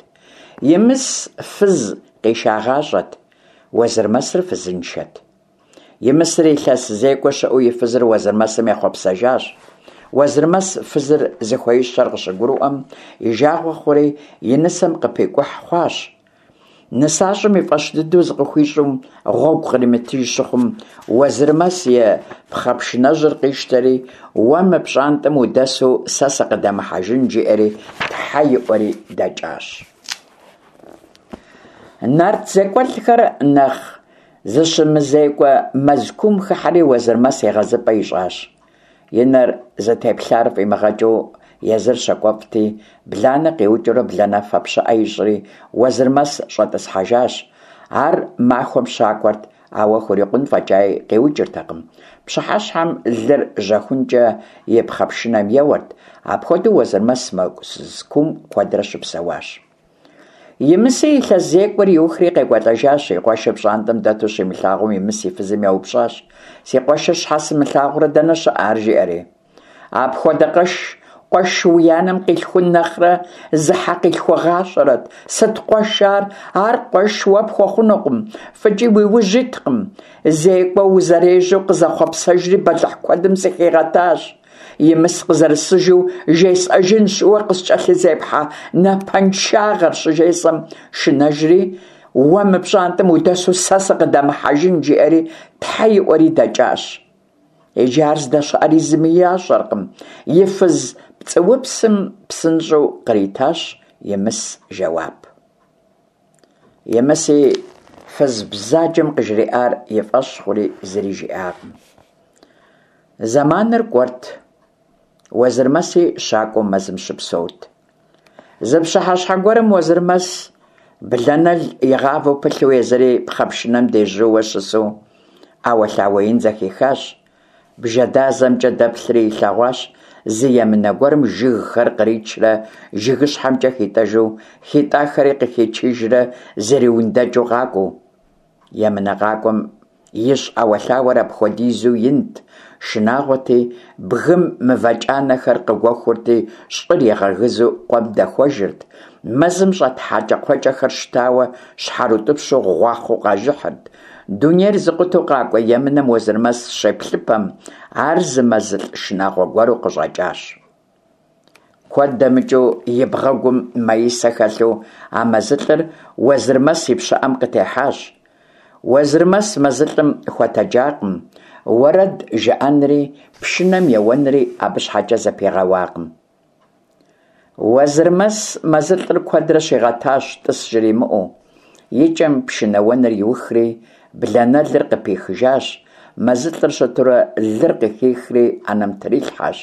Имыс фыз къишагъащӏэт, Уэзырмэсыр фызыншэт. Имысыр илъэс зекӏуэ щыӏэу и фызыр Уэзырмэсым ехъуэпсэжащ. Уэзырмэс фызыр зыхуеищэр къыщыгурыӏуэм, и жагъуэ хъури, и нысэм къыпикӏухь хъуащ. Нысащӏэм и фӏэщ дыдэу зыкъыхуищӏу гъуэгу къримытыж щыхъум, Уэзырмэс и пхъэпшынэжьыр къищтэри, Уэ мы пщӏантӏэм удэсу сэ сыкъыдэмыхьэжын, жиӏэри тхьэ иӏуэри дэкӏащ. Нарт зекӏуэлӏхэр нэхъ зыщымызекӏуэ мэз куум хыхьэри Уэзырмэс егъэзыпӏэ ищӏащ. И нэр зытеплъар фӏимыгъэкӏыу езыр щакӏуэфӏти, бланэ къиукӏыурэ бланэфэ пщыӏэ ищӏри, Уэзырмэс щӏэтӏысхьэжащ. Ар махуэм щакӏуэрт, ауэ хурикъун фӏэкӏаи къиукӏыртэкъым. Пщыхьэщхьэм лыр жьэхункӏэ и пхъэпшынэм еуэрт. Апхуэдэу Уэзырмэс мэз куум куэдрэ щыпсэуащ. Имыси илъэс зекӏуэр иухри къекӏуэлӏэжащ, и къуэшыр пщӏантӏэм дэту щимылъагъум, Имыс и фызым еупщӏащ, Си къуэшыр щхьэ сымылъагъурэ, дэнэ щыӏэ ар? жиӏэри. Апхуэдэ къэш, къуэш уи анэм къилъхун нэхърэ зы хьэ къилъхугъащэрэт. Сыт къуэш ар? Ар къуэш уэ пхуэхъунукъым, фӏыкӏи уи ужь иткъым. Зекӏуэ узэрежьэу къызэхъуэпсэжри бэлыхь куэдым сыхигъэтащ. Имыс къызэрысыжу жесӏэжынщ уэ къыскӏэлъызепхьэ напэншагъэр, щыжесӏэм, шынэжри, уэ мы пщӏантӏэм удэсу сэ сыкъыдэмыхьэжын, жиӏэри тхьэ иӏуэри дэкӏащ. Иджы ар здэщыӏэри зыми ящӏэркъым. И фыз пцӏыупсым псынщӏэу къритащ Имыс жэуап. Имыси фыз бзаджэм къыжриӏар и фӏэщ хъури зыри жиӏакъым. Зэманыр кӏуэрт, Уэзырмэси щакӏуэу мэзым щыпсэут. Зы пщыхьэщхьэ гуэрым Уэзырмэс бланэл игъавэу пылъу езыри пхъэпшынэм дежьууэ щысу ӏэуэлъауэ ин зэхихащ. Бжэдазэмкӏэ дэплъри илъэгъуащ зы емынэ гуэрым жыгхэр къричрэ жыгыщхьэмкӏэ хитӏэжу, хитӏахэри къыхичыжрэ зриундэкӏыу къакӏуэу. Емынэ къакӏуэм ищӏ ӏэуэлъауэр апхуэдизу инт, шынагъуэти, бгым мывэкӏанэхэр къыгуэхурти, щӏыр игъэгызу къуэм дэхуэжырт, мэзым щӏэт хьэкӏэкхъуэкӏэхэр щтауэ щхьэрыутӏыпщу гъуахъуэу къажыхьырт. Дунейр зыкъутэу къакӏуэ емынэм Уэзырмэс щеплъыпэм, ар зы мэзылӏ шынагъуэ гуэру къыщӏэкӏащ. Куэд дэмыкӏыу и бгъэгум маисэ хэлъу а мэзылӏыр Уэзырмэс и пщыӏэм къытехьащ. Уэзырмэс мэзылӏым хуэтэджакъым, уэрэд жыӏэнри, пшынэм еуэнри абы щхьэкӏэ зэпигъэуакъым. Уэзырмэс мэзылӏыр куэдрэ щигъэтащ тӏыс жримыӏэу. Икӏэм пшынэуэныр иухри, бланэлыр къыпихыжащ, мэзылӏыр щытурэ лыр къыхихри ӏэнэм трилъхьэщ.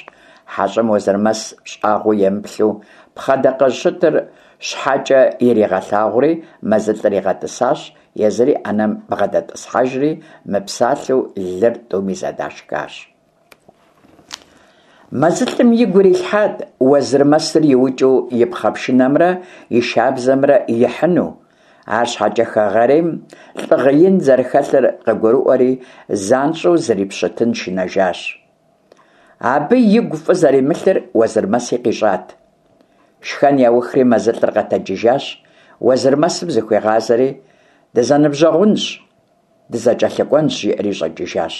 Хьэщӏэм Уэзырмэс щӏагъуэу емыплъу, пхъэдакъэжь щытыр щхьэкӏэ иригъэлъагъури, мэзылӏыр игъэтӏысащ, езыри ӏэнэм бгъэдэтӏысхьэжри, мыпсалъэу лыр тӏуми зэдашхащ. Мэзылӏым игу ирилъхьат Уэзырмэсыр иукӏыу и пхъэпшынэмрэ и шабзэмрэ ихьыну. Арщхьэкӏэ хэгъэрейм лӏыгъэ ин зэрыхэлъыр къыгурыӏуэри, занщӏэу зрипщытын шынэжащ. Абы игу фӏы зэримылъыр Уэзырмэси къищӏат. Шхэн яухри мэзылӏыр къэтэджыжащ, Уэзырмэсым зыхуигъазэри, Дызэныбжьэгъунщ, дызэкӏэлъыкӏуэнщ, жиӏэри щӏэкӏыжащ.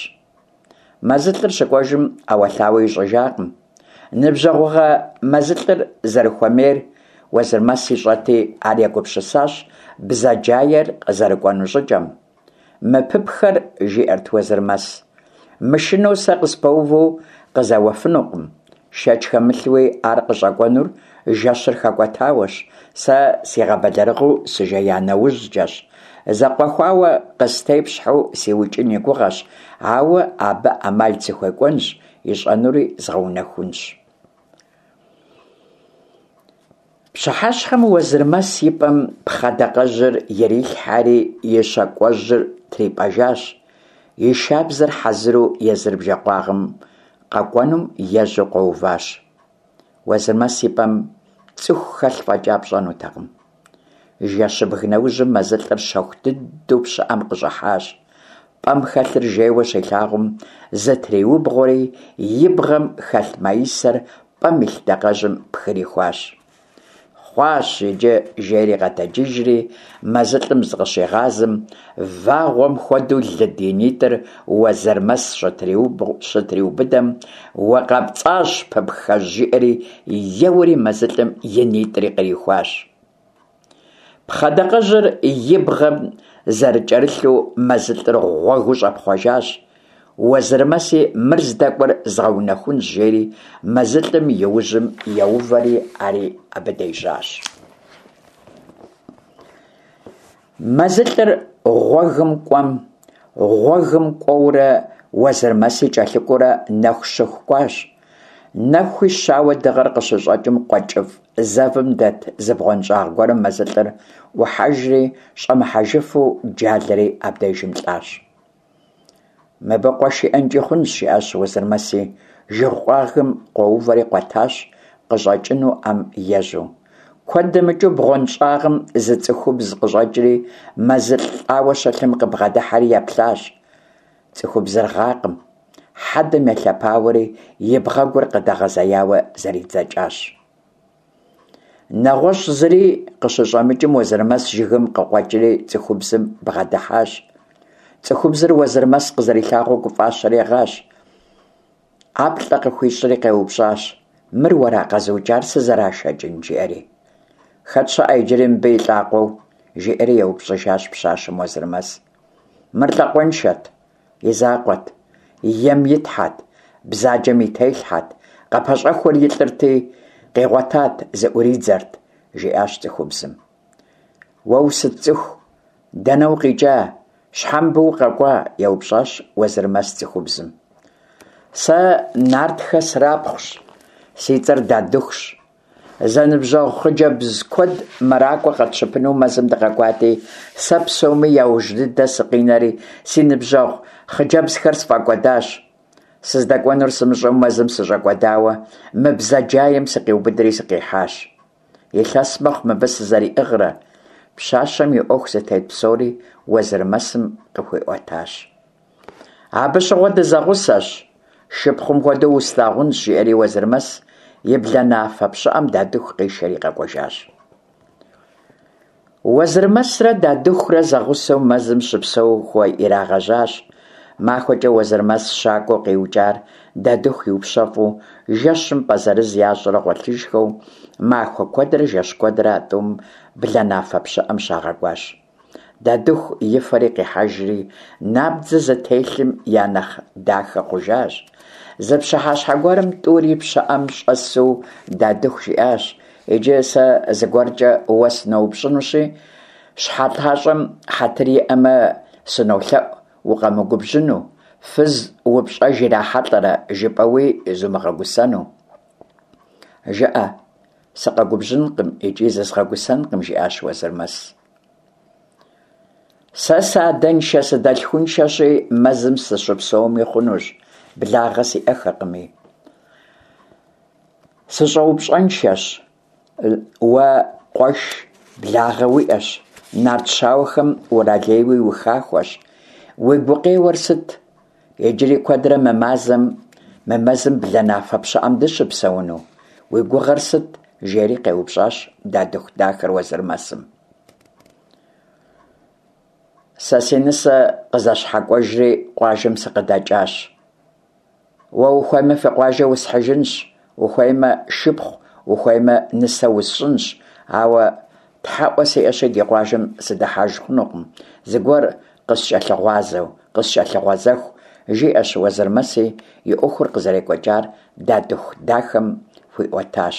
Мэзылӏыр щыкӏуэжым ӏэуэлъауэ ищӏыжакъым. Ныбжьэгъугъэ мэзылӏыр зэрыхуэмейр Уэзырмэс ищӏэти, ар егупсысащ бзаджаер къызэрыкӏуэну щӏыкӏэм. Мы пыпхэр, жиӏэрт Уэзырмэс, мышынэу сэ къыспэуву къызэуэфынукъым. Шэч хэмылъуи, ар къыщӏэкӏуэнур жэщыр хэкӏуэтауэщ, сэ сигъэбэлэрыгъыу сыжея нэужькӏэщ. Зэкъуэхуауэ къыстепщхьэу сиукӏын и гугъэщ, ауэ абы ӏэмал сыхуекӏуэнщ, ищӏэнури згъэунэхунщ. Пщыхьэщхьэм Уэзырмэс и пӏэм пхъэдакъэжьыр ирилъхьэри и щакӏуэжьыр трипӏэжащ, и шабзэр хьэзыру езыр бжэкъуагъым къэкӏуэнум ежьэу къуэуващ. Уэзырмэс и пӏэм цӏыху хэлъ фӏэкӏа пщӏэнутэкъым. Жэщыбг нэужьым мэзылӏыр щэху дыдэу пщыӏэм къыщӏыхьащ. Пӏэм хэлъыр жейуэ щилъагъум, зытриубгъуэри, и бгъэм хэлъ маисэр пӏэм илъ дакъэжьым пхрихуащ. Хъуащ иджы, жери къэтэджыжри, мэзылӏым зыкъыщигъазэм, вагъуэм хуэдэу лыд и нитӏыр Уэзырмэс щытриубыдэм, Укъэпцӏащ, пыпхэжь, жиӏэри, еуэри мэзылӏым и нитӏри кърихуащ. Пхъэдакъэжьыр и бгъэм зэрыкӏэрылъу мэзылӏыр гъуэгыу щӏэпхъуэжащ. Уэзырмэси мыр здэкӏуэр згъэунэхунщ, жери мэзылӏым и ужьым еувэри ари абы дежьащ. Мэзылӏыр гъуэгым кӏуэм, гъуэгым кӏуэурэ Уэзырмэси кӏэлъыкӏуэурэ нэху щыху кӏуащ. Нэхуи щауэ дыгъэр къыщыщӏэкӏым къуэ кӏыфӏ зэвым дэт зы бгъуэнщӏагъ гуэрым мэзылӏыр ӏухьэжри, щӏэмыхьэжыфу джалэри абдежым лӏащ. Мыбы къуэш иӏэнкӏи хъунщ, жиӏащ Уэзырмэси, жыг къуагъым къуэувэри къуэтащ, къыщӏэкӏынуӏэм ежьэу. Куэд дэмыкӏыу бгъуэнщӏагъым зы цӏыхубз къыщӏэкӏри, мэзылӏ лӏауэ щылъым къыбгъэдыхьэри еплъащ. Цӏыхубзыр гъакъым, хьэдэм елъэпауэри и бгъэгур къыдэгъэзеяуэ зэридзэкӏащ. Нэгъуэщӏ зыри къыщыщӏэмыкӏым Уэзырмэс жыгым къыкъуэкӏри цӏыхубзым бгъэдыхьащ. Цӏыхубзыр Уэзырмэс къызэрилъагъуу гуфӏащэри гъащ. ӏэплӏэ къыхуищӏри къеупщӏащ, Мыр уэра къэзыукӏар сызэрашэкӏын? жиӏэри. Хэт щыӏэ иджыри мыбы и лӏакъуэу? жиӏэри еупщӏыжащ пщащэм Уэзырмэс. Мыр лӏакъуэншэт, и закъуэт, ем и тхьэт, бзаджэм и телъхьэт, къыпэщӏэхуэр илӏырти, къигъуэтат, зыӏуридзэрт, жиӏащ цӏыхубзым. Уэ усыт цӏыху, дэнэ укъикӏа, щхьэ мыбы укъэкӏуа? еупщӏащ Уэзырмэс цӏыхубзым. Сэ нартхэ срапхъущ, си цӏэр Дадыхущ. Зэныбжьэгъу хъыджэбз куэд мэракӏуэ къэтщыпыну мэзым дыкъэкӏуати, сэ псоми яужь дыдэ сыкъинэри, си ныбжьэгъу хъыджэбзхэр сфӏэкӏуэдащ. Сыздэкӏуэнур сымыщӏэу мэзым сыщӏэкӏуэдауэ, мы бзаджаем сыкъиубыдри сыкъихьащ. Илъэс мэхъу мыбы сызэриӏыгърэ. Пщащэм и ӏуэху зытет псори Уэзырмэсым къыхуиӏуэтащ. Абы щыгъуэ дызэгъусэщ, шыпхъум хуэдэу услъагъунщ, жиӏэри Уэзырмэс и бланафэ пщыӏэм Дадыху къишэри къэкӏуэжащ. Уэзырмэсрэ Дадыхурэ зэгъусэу мэзым щыпсэууэ ирагъэжьащ. Махуэкӏэ Уэзырмэс щакӏуэу къиукӏар Дадыху иупщэфӏу, жэщым пӏэ зырыз ящӏрэ гъуэлъыжхэу, махуэ куэдрэ жэщ куэдрэ а тӏум бланафэ пщыӏэм щагъэкӏуащ. Дадыху и фэри къихьэжри, набдзэ зытелъым я нэхъ дахэ хъужащ. Зы пщыхьэщхьэ гуэрым тӏури пщыӏэм щӏэсу Дадыху жиӏащ, Иджы сэ зыгуэркӏэ уэ сыноупщӏынущи, щхьэлъащӏэм хьэтыр иӏэмэ, сынолъэӏу укъэмыгубжьыну, фыз упщӏэж ирахьэлӏэрэ жыпӏэуи зумыгъэгусэну. Жыӏэ, сыкъэгубжьынкъым икӏи зызгъэгусэнкъым, жиӏащ Уэзырмэс. Сэ сыадэншэ-сыдэлъхуншэщи, мэзым сыщыпсэуми хъунущ, благъэ сиӏэхэкъыми. Сыщӏэупщӏэншэщ, уэ къуэш, благъэ уиӏэщ, нарт щауэхэм уралейуи ухахуэщ. Уи гукъеуэр сыт? Иджыри куэдрэ мы мазэм, мы мэзым бланафэ пщыӏэм дыщыпсэуну? Уи гугъэр сыт? жери къеупщӏащ Дадыху дахэр Уэзырмэсым. Сэ си нысэ къызэщхьэкӏуэжри къуажэм сыкъыдэкӏащ. Уэ ухуеймэ, фи къуажэ усхьыжынщ, ухуеймэ, шыпхъу, ухуеймэ, нысэ усщӏынщ, ауэ тхьэӏуэ сиӏэщи, ди къуажэм сыдыхьэж хъунукъым, зыгуэр къыскӏэлъыгъуазэу, къыскӏэлъыгъуэзэху, жиӏэщ Уэзырмэси, и ӏуэхур къызэрекӏуэкӏар Дадыху дахэм хуиӏуэтащ.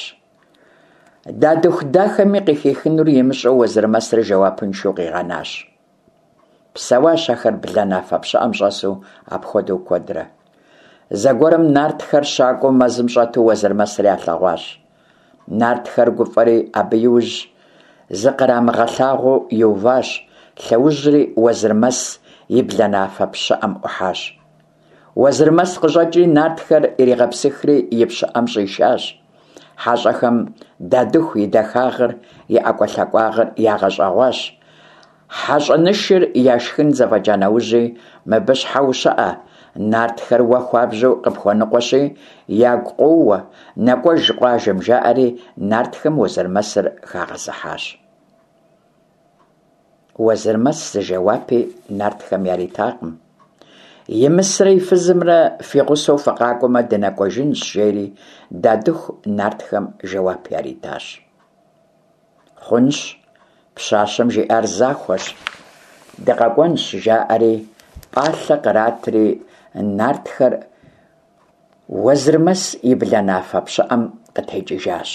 Дадыху дахэми къыхихынур имыщӏэу Уэзырмэсыр жэуапыншэу къигъэнащ. Псэуащ ахэр бланафэ пщыӏэм щӏэсу апхуэдэу куэдрэ. Зэгуэрым нартхэр щакӏуэу мэзым щӏэту Уэзырмэсыр ялъэгъуащ. Нартхэр гуфӏэри абы иужь зыкърамыгъэлъагъуу иуващ, лъэужьри Уэзырмэс и бланафэ пщыӏэм ӏухьащ. Уэзырмэс къыщӏэкӏри нартхэр иригъэпсыхри и пщыӏэм щӏишащ. Хьэщӏэхэм Дадыху и дахагъыр, и ӏэкӏуэлъакӏуагъыр ягъэщӏэгъуащ. Хьэщӏэнышыр яшхын зэфӏэкӏа нэужьи, мыбы щхьэ ущыӏэ? Нартхэр уэ хуабжьу къыпхуэныкъуэщи, ягу къоуэ, нэкӏуэж къуажэм, жаӏэри нартхэм Уэзырмэсыр хагъэзыхьащ. Уэзырмэс зы жэуапи нартхэм яритакъым. Имысрэ и фызымрэ фи гъусэу фыкъакӏуэмэ, дынэкӏуэжынщ, жери Дадыху нартхэм жэуап яритащ. Хъунщ, пщащэм жиӏар захуэщ, дыкъэкӏуэнщ, жаӏэри, пӏалъэ къратри, нартхэр Уэзырмэс и бланафэ пщыӏэм къытекӏыжащ.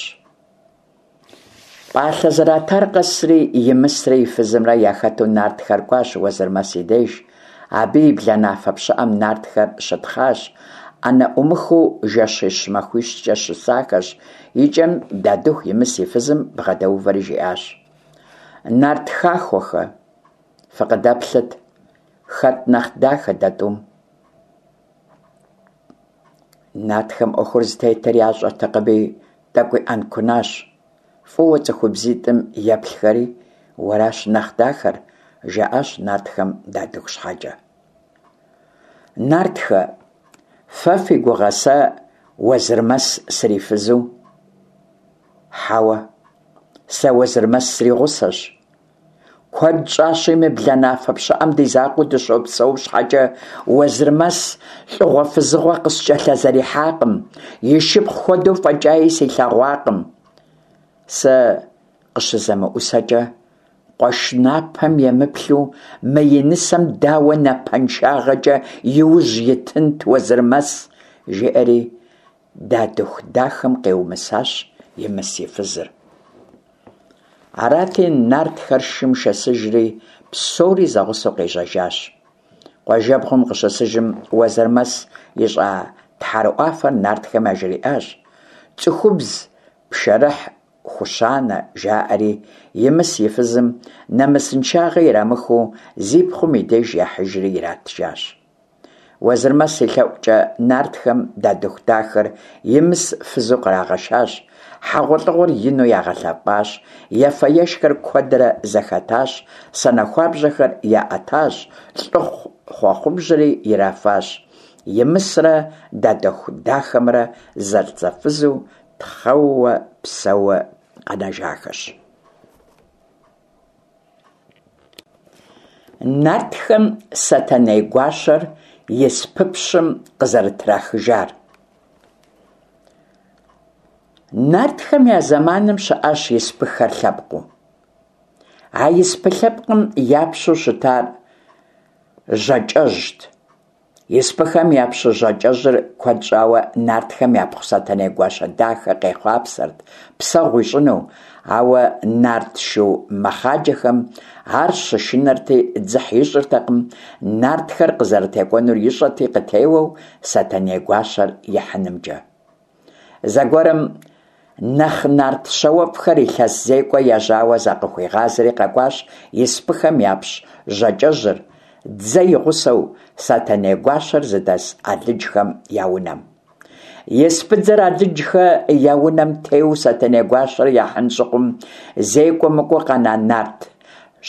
Пӏалъэ зэратар къэсри, Имысрэ и фызымрэ яхэту нартхэр кӏуащ Уэзырмэс и деж. Абы и бланафэ пщыӏэм нартхэр щытхъащ, ӏэнэ ӏумыхыу жэщищ-махуищкӏэ щысахэщ. Икӏэм Дадыху Имыс и фызым бгъэдэувэри жиӏащ: Нарт хахуэхэ, фыкъыдэплъыт, хэт нэхъ дахэ дэ тӏум? Нартхэм ӏуэхур зытетыр ящӏэртэкъыми, тӏэкӏуи ӏэнкунащ. Фӏыуэ цӏыхубзитӏым еплъхэри, уэращ нэхъ дахэр, жаӏащ нартхэм Дадыху щхьэкӏэ. Нартхэ, фэ фи гугъэ сэ Уэзырмэс срифызу? Хьэуэ, сэ Уэзырмэс сригъусэщ. Куэд щӏащи, мы бланафэ пщыӏэм ди закъуэу дыщопсэу щхьэкӏэ, Уэзырмэс лӏыгъуэ-фызыгъуэ къыскӏэлъызэрихьакъым, и шыпхъу хуэдэу фӏэкӏаи силъэгъуакъым. Сэ къыщызэмыӏусэкӏэ, къуэш напэм емыплъу, мы и нысэм дауэ напэншагъэкӏэ и ужь итынт Уэзырмэс? жиӏэри Дадыху дахэм къеумысащ Имыс и фызыр. Арати, нартхэр шым шэсыжри, псори зэгъусэу къежьэжащ. Къуажэбгъум къыщысыжым, Уэзырмэс ищӏа тхьэрыӏуафэр нартхэм яжриӏащ. Цӏыхубз пшэрыхь хущанэ, жаӏэри, Имыс и фызым нэмысыншагъэ ирамыхыу зи пхъум и деж яхьыжри иратыжащ. Уэзырмэс и лъэӏукӏэ нартхэм Дадыху дахэр Имыс фызу кърагъэшащ, хьэгъуэлӏыгъуэр ину ягъэлъэпӏащ, ефэ-ешхэр куэдрэ зэхэтащ, санэхуабжьэхэр яӏэтащ, лӏыхъу хъуэхъубжьэри ирафащ. Имысрэ Дадыху дахэмрэ зэлӏзэфызу тхъэууэ псэууэ къэнэжахэщ. Нартхэм Сэтэней гуащэр испыпщым къызэрытрахыжар. Нартхэм я зэманым щыӏащ испыхэр лъэпкъыу. А испы лъэпкъым я пщу щытар Жьакӏэжьт. Испыхэм я пщы Жьакӏэжьыр куэд щӏауэ нартхэм япхъу Сэтэней гуащэ дахэ къехъуапсэрт псэгъу ищӏыну, ауэ нарт шу мэхъаджэхэм ар щышынэрти дзыхь ищӏыртэкъым, нартхэр къызэрытекӏуэнур ищӏэти къытеуэу Сэтэней гуащэр ихьынымкӏэ. Зэгуэрым нэхъ нарт щауэфӏхэр илъэс зекӏуэ ежьауэ закъыхуигъазэри къэкӏуащ испыхэм япщ Жьакӏэжьыр, дзэ и гъусэу, Сэтэней гуащэр зыдэс Алыджхэм я унэм. Испыдзэр Алыджхэ я унэм теуэу Сэтэней гуащэр яхьын щыхъум, зекӏуэ мыкӏуэу къэна нарт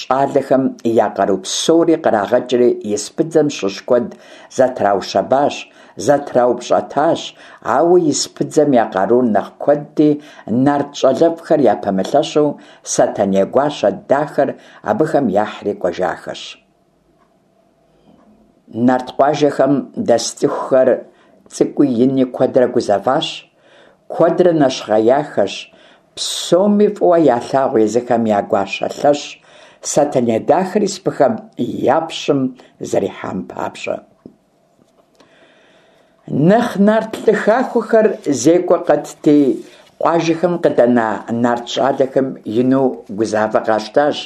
Щӏалэхэм я къару псори кърагъэкӏри, испыдзэм щыщ куэд зэтраущэбащ, зэтраупщӏэтащ, ауэ испыдзэм я къарур нэхъ куэдти, нарт щӏалэфӏхэр япэмылъэщу Сэтэней гуащэ дахэр абыхэм яхьри кӏуэжахэщ. Нарт къуажэхэм дэс цӏыхухэр цӏыкӏуи ини куэдрэ гузэващ, куэдрэ нэщхъеяхэщ, псоми фӏыуэ ялъагъу езыхэм я гуащэ лъэщ Сэтэней дахэр испыхэм я пщым зэрихьам папщӏэ. Нэхъ нарт лӏы хахуэхэр зекӏуэ къэтти, къуажэхэм къыдэна нарт щӏалэхэм ину гузавэ къащтащ,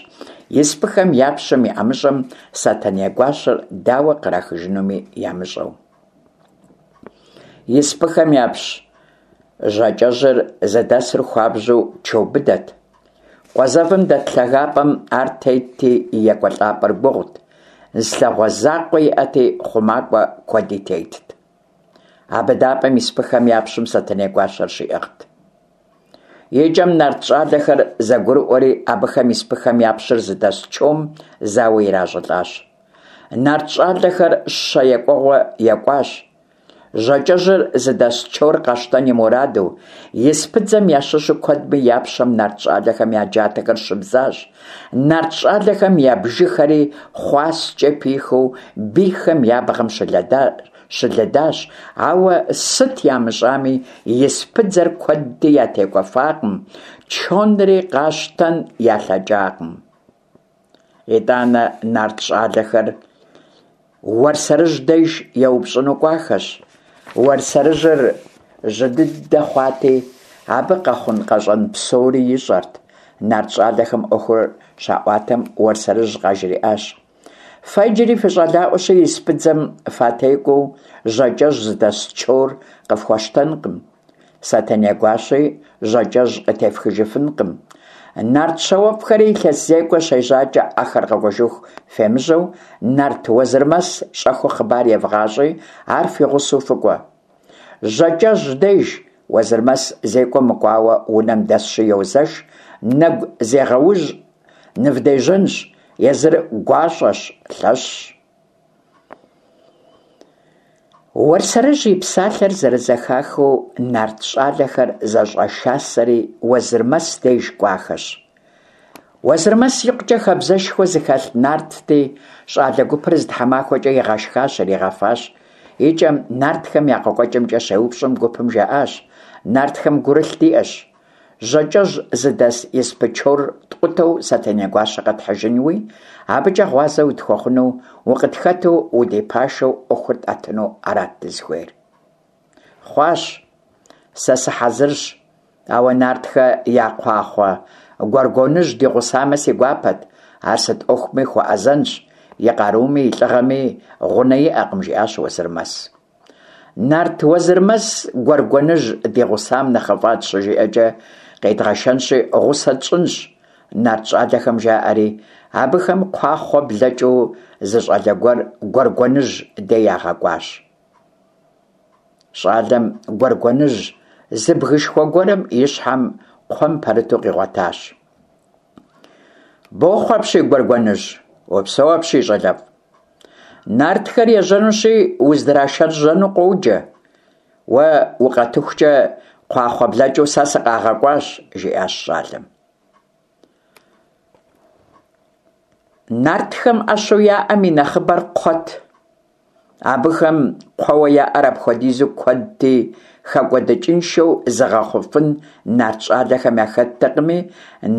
испыхэм я пщым и ӏэмыщӏэм Сэтэней гуащэр дауэ кърахыжынуми ямыщӏэу. Испыхэм япщ Жьакӏэжьыр зыдэсыр хуабжьу чо быдэт. Къуэ зэвым дэт лъагапӏэм ар тетти, и екӏуэлӏапӏэр гугъут, зы лъагъуэ закъуэ иӏэти, хъумакӏуэ куэди тетт. А быдапӏэм испыхэм я пщым Сэтэней гуащэр щиӏыгът. Икӏэм нарт щӏалэхэр зэгурыӏуэри, абыхэм испыхэм я пщыр зыдэс чом зауэ иращӏылӏащ. Нарт щӏалэхэр щэ екӏуэгъуэ екӏуащ. Жьакӏэжьыр зыдэс чор къащтэн и мураду, испыдзэм ящыщу куэдми я пщэм нарт щӏалэхэм я джатэхэр щыбзащ, нарт щӏалэхэм я бжыхэри хъуаскӏэ пихыу бийхэм я бгъэм щылыдащ, ауэ сыт ямыщӏами, испыдзэр куэдти ятекӏуэфакъым, чонри къащтэн ялъэкӏакъым. Итӏанэ нарт щӏалэхэр Уэрсэрыжь деж еупщӏыну кӏуахэщ. Уэрсэрыжьыр жьы дыдэ хъуати, абы къэхъун-къэщӏэн псори ищӏэрт. Нарт щӏалэхэм ӏуэхур щаӏуатэм, Уэрсэрыжь къажриӏащ: Фэ иджыри фыщӏалаӏуэщи, испыдзэм фатекӏуэу Жьакӏэжь зыдэс чор къыфхуэщтэнкъым. Сэтэней гуащи Жьакӏэжь къытефхыжыфынкъым. Нарт щауэфӏхэри илъэс зекӏуэ щежьакӏэ ахэр къэкӏуэжыху фемыжьэу, нарт Уэзырмэс щӏэхыу хъыбар евгъащӏи, ар фи гъусэу фыкӏуэ. Жьакӏэжь деж Уэзырмэс зекӏуэ мыкӏуауэ унэм дэсщи йозэш, нэгу зегъэужь нывдежьэнщ, езыр гуащӏэщ, лъэщщ. Уэрсэрыжь и псалъэр зэрызэхахыу нарт щӏалэхэр зэщӏэшасэри Уэзырмэс деж кӏуахэщ. Уэзырмэс икъукӏэ хабзэшхуэ зыхэлъ нартти, щӏалэ гупыр зы тхьэмахуэкӏэ игъэшхащ, иригъэфащ. Икӏэм нартхэм я къекӏуэкӏымкӏэ щеупщӏым гупым жаӏащ: Нартхэм гурылъ диӏэщ. Жьакӏэжь зыдэс испы чор ткъутэу Сэтэней гуащэ къэтхьыжынуи, абыкӏэ гъуазэ утхуэхъуну, укъытхэту, удипашэу ӏуэхур тӏэтыну арат дызыхуейр. Хъуащ, сэ сыхьэзырщ, ауэ нартхэ я кхъуахъуэ Гуэргуэныжь ди гъусамэ си гуапэт, ар сыт ӏуэхуми хуэӏэзэнщ, и къаруми и лӏыгъэми гъунэ иӏэкъым, жиӏащ Уэзырмэс. Нарт Уэзырмэс Гуэргуэныжь ди гъусам нэхъыфӏат щыжиӏэкӏэ, къедгъэшэнщи, гъусэ тщӏынщ, нарт щӏалэхэм жаӏэри, абыхэм кхъуахъуэ блэкӏыу зы щӏалэ гуэр Гуэргуэныжь дей ягъэкӏуащ. Щӏалэм Гуэргуэныжь зы бгышхуэ гуэрым и щхьэм кхъуэм пэрыту къигъуэтащ. Бохъу апщий, Гуэргуэныжь! Упсэу апщий, щӏалэфӏ! Нартхэр ежьэнущи, уздрашэжьэну къоджэ. Уэ укъэтыхукӏэ кхъуахъуэ блэкӏыу сэ сыкъагъэкӏуащ, жиӏащ щӏалэм. Нартхэм ӏэщу яӏэм и нэхъыбэр кхъуэт. Абыхэм кхъуэуэ яӏэр апхуэдизу куэдти, хэкӏуэдыкӏыншэу зыгъэхъуфын нарт щӏалэхэм яхэттэкъыми,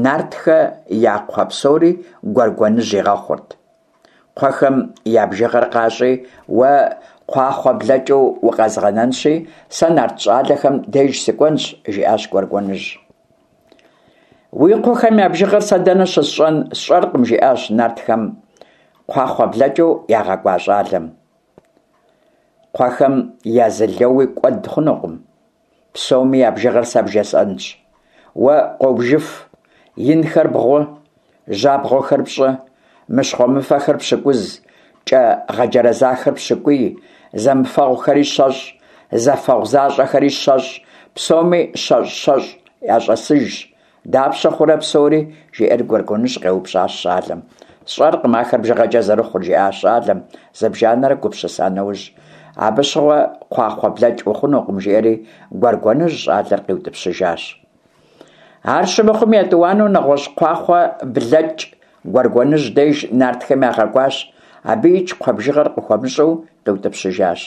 нартхэ я кхъуэ псори Гуэргуэныжь игъэхъурт. Кхъуэхэм я бжыгъэр къащӏи, уэ кхъуахъуэ блэкӏыу укъэзгъэнэнщи, сэ нарт щӏалэхэм деж сыкӏуэнщ, жиӏащ Гуэргуэныжь. Уи кхъуэхэм я бжыгъэр сэ дэнэ щысщӏэн сщӏэркъым, жиӏащ нартхэм кхъуахъуэ блэкӏыу ягъэкӏуа щӏалэм. Кхъуэхэм я зы лэуи кӏуэд хъунукъым. Псоми я бжыгъэр сэ бжесӏэнщ. Уэ къобжыф, инхэр бгъу, жьабгъуэхэр пщӏы, мыщхъуэмыфэхэр пщыкӏуз, кӏэ гъэджэрэзахэр пщыкӏуий, зэмыфэгъухэри щэщӏ, зэфэгъу защӏэхэри щэщӏ, псоми щэщӏ-щэщӏ ящӏэсыжщ. Дапщэ хъурэ псори? жиӏэри Гуэргуэныжь къеупщӏащ щӏалэм. Сщӏэркъым ахэр бжыгъэкӏэ зэрыхъур, жиӏащ щӏалэм, зыбжанэрэ гупсыса нэужь. Абы щыгъуэ кхъуахъуэ блэкӏ ухъунукъым, жиӏэри Гуэргуэныжь щӏалэр къиутӏыпщыжащ. Ар щымыхъум, етӏуанэу нэгъуэщӏ кхъуахъуэ блэкӏ Гуэргуэныжь деж нартхэм ягъэкӏуащ, абыикӏ кхъуэ бжыгъэр къыхуэмыщӏэу къиутӏыпщыжащ.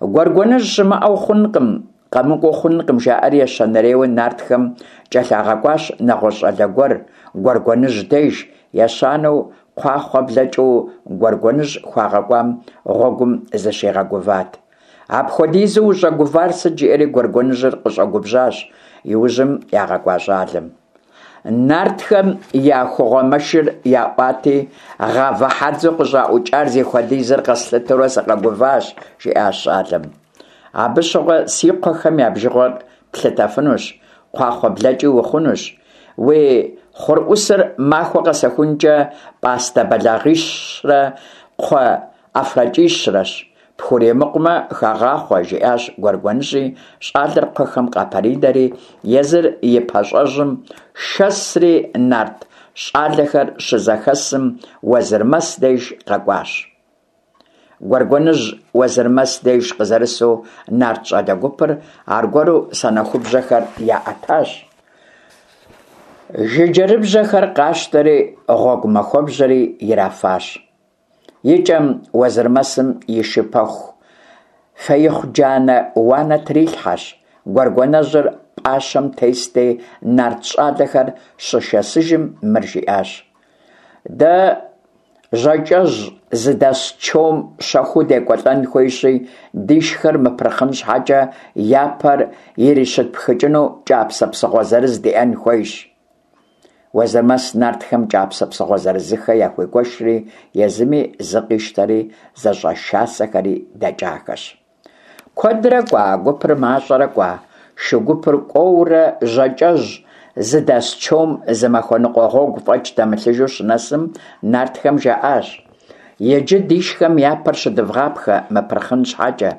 Гуэргуэныжь щымыӏэу хъункъым, къэмыкӏуэу хъункъым, жаӏэри ещанэрейуэ нартхэм кӏэлъагъэкӏуащ нэгъуэщӏ щӏалэ гуэр Гуэргуэныжь деж, ещанэу кхъуахъуэ блэкӏыу Гуэргуэныжь хуагъэкӏуам гъуэгум зыщигъэгуват. Апхуэдизу ущӏэгувар сыт, жиӏэри Гуэргуэныжьыр къыщӏэгубжьащ иужьым ягъэкӏуа щӏалэм. Нартхэм я хугъуэ мэшыр яӏуати, гъавэ хьэдзэу къыщӏаӏукӏар зихуэдизыр къэслъытэурэ сыкъэгуващ, жиӏащ щӏалэм. Абы щыгъуэ си кхъуэхэм я бжыгъэр плъытэфынущ, кхъуахъуэ блэкӏи ухъунущ. Уи хъурӏусыр махуэ къэсыхункӏэ пӏастэ бэлагъищрэ кхъуэ ӏэфрэкӏищрэщ. Пхуремыкъумэ, хэгъахъуэ, жиӏащ Гуэргуэныжьи, щӏалэр кхъуэхэм къапэринэри, езыр и пащӏэжьым шэсри нарт щӏалэхэр щызэхэсым Уэзырмэс деж къэкӏуащ. Гуэргуэныжь Уэзырмэс деж къызэрысу нарт щӏалэ гупыр аргуэру санэхубжьэхэр яӏэтащ. Жыджэрыбжьэхэр къащтэри гъуэгу махуэбжьэри ирафащ. Икӏэм Уэзырмэсым и шы пэху Феихъу джанэ уанэ трилъхьэщ, Гуэргуэнэжьыр пӏащэм тести, нарт щӏалэхэр щышэсыжым мыр жиӏащ: Дэ Жьакӏэжь зыдэс чом щэхуу декӏуэлӏэн хуейщи, дишхэр мыпырхъын щхьэкӏэ я пэр ирищытпхыкӏыну кӏапсэ псыгъуэ зырыз диӏэн хуейщ. Уэзырмэс нартхэм кӏапсэ псыгъуэ зырызыххэ яхуигуэшри, езыми зы къищтэри, зэщӏэшасэхэри дэкӏахэщ. Куэдрэ кӏуа гупыр мащӏэрэ кӏуа, шу гупыр кӏуэурэ Жьакӏэжь зыдэс чом зы махуэ ныкъуэ гъуэгу фӏэкӏ дэмылъыжу щынэсым, нартхэм жаӏащ: Иджы дишхэм я пэр щыдывгъапхэ мыпырхъын щхьэкӏэ.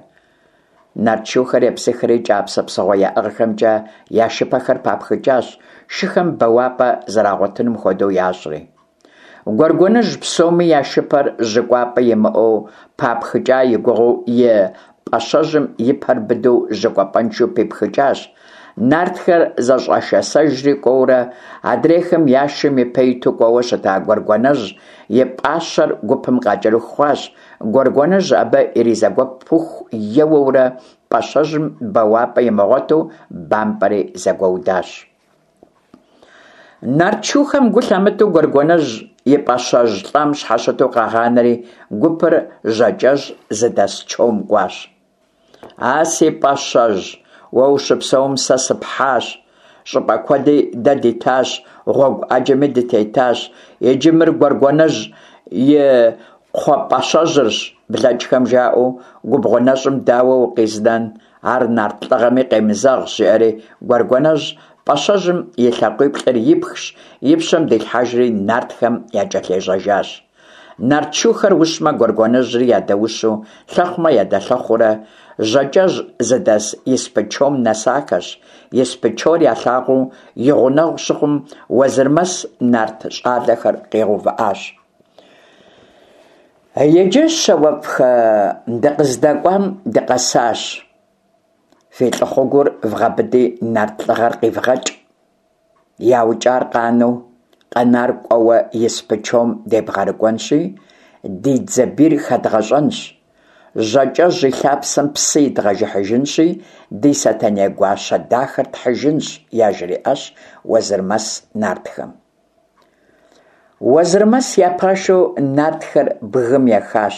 Нарт шухэр епсыхри кӏапсэ псыгъуэ яӏыгъхэмкӏэ я шыпэхэр папхыкӏащ, шыхэм бэуапӏэ зэрагъуэтынум хуэдэу ящӏри. Гуэргуэныжь псоми я шыпэр жьы кӏуапӏэ имыӏэу папхыкӏа и гугъэу и пӏащэжьым и пэр быдэу жьы кӏуапӏэншэу пипхыкӏащ. Нартхэр зэщӏэшэсэжри кӏуэурэ, адрейхэм я шым ипэ иту кӏуэуэ щыта Гуэргуэнэжь и пӏащэр гупым къакӏэрыху хъуащ. Гуэргуэныжь абы иризэгуэпыху еуэурэ пӏащэжьым бэуапӏэ имыгъуэту бампӏэри зэгуэудащ. Нарт шухэм гу лъамытэу Гуэргуэнэжь и пӏащэжь лӏам щхьэщыту къагъанэри, гупыр Жьакӏэжь зыдэс чом кӏуащ. А си пӏащэжь, уэ ущыпсэум сэ сыпхьащ, щӏыпӏэ куэди дэ дитащ, гъуэгу ӏэджэми дытетащ. Иджы мыр Гуэргуэнэжь и кхъуэ пӏащэжьырщ, блэкӏхэм жаӏэу, губгъуэ нэщӏым дауэ укъизнэн? Ар нарт лӏыгъэми къемызэгъщ, жиӏэри Гуэргуэнэжь пӏащэжьым и лъакъуиплӏыр ипхщ, и пщэм дилъхьэжри нартхэм якӏэлъежьэжащ. Нарт шухэр ущмэ, Гуэргуэнэжьри ядэущу, лъэхъумэ ядэлъэхъуурэ, Жьакӏэжь зыдэс испы чом нэсахэщ. Испы чор ялъагъуу и гъунэгъу щыхъум, Уэзырмэс нарт щӏалэхэр къигъэувыӏащ. Иджы, щауэфӏхэ, дыкъыздэкӏуам дыкъэсащ. Фи лӏыхъугур вгъэбыди нарт лӏыгъэр къивгъэкӏ. Яукӏар къанэу, къэнар кӏуэуэ испы чом дебгъэрыкӏуэнщи, ди дзэ бийр хэдгъэщӏэнщ. Жьакӏэжь и лъапсэм псы идгъэжыхьыжынщи, ди Сэтэней гуащэ дахэр тхьыжынщ, яжриӏащ Уэзырмэс нартхэм. Уэзырмэс я пашэу нартхэр бгым ехащ.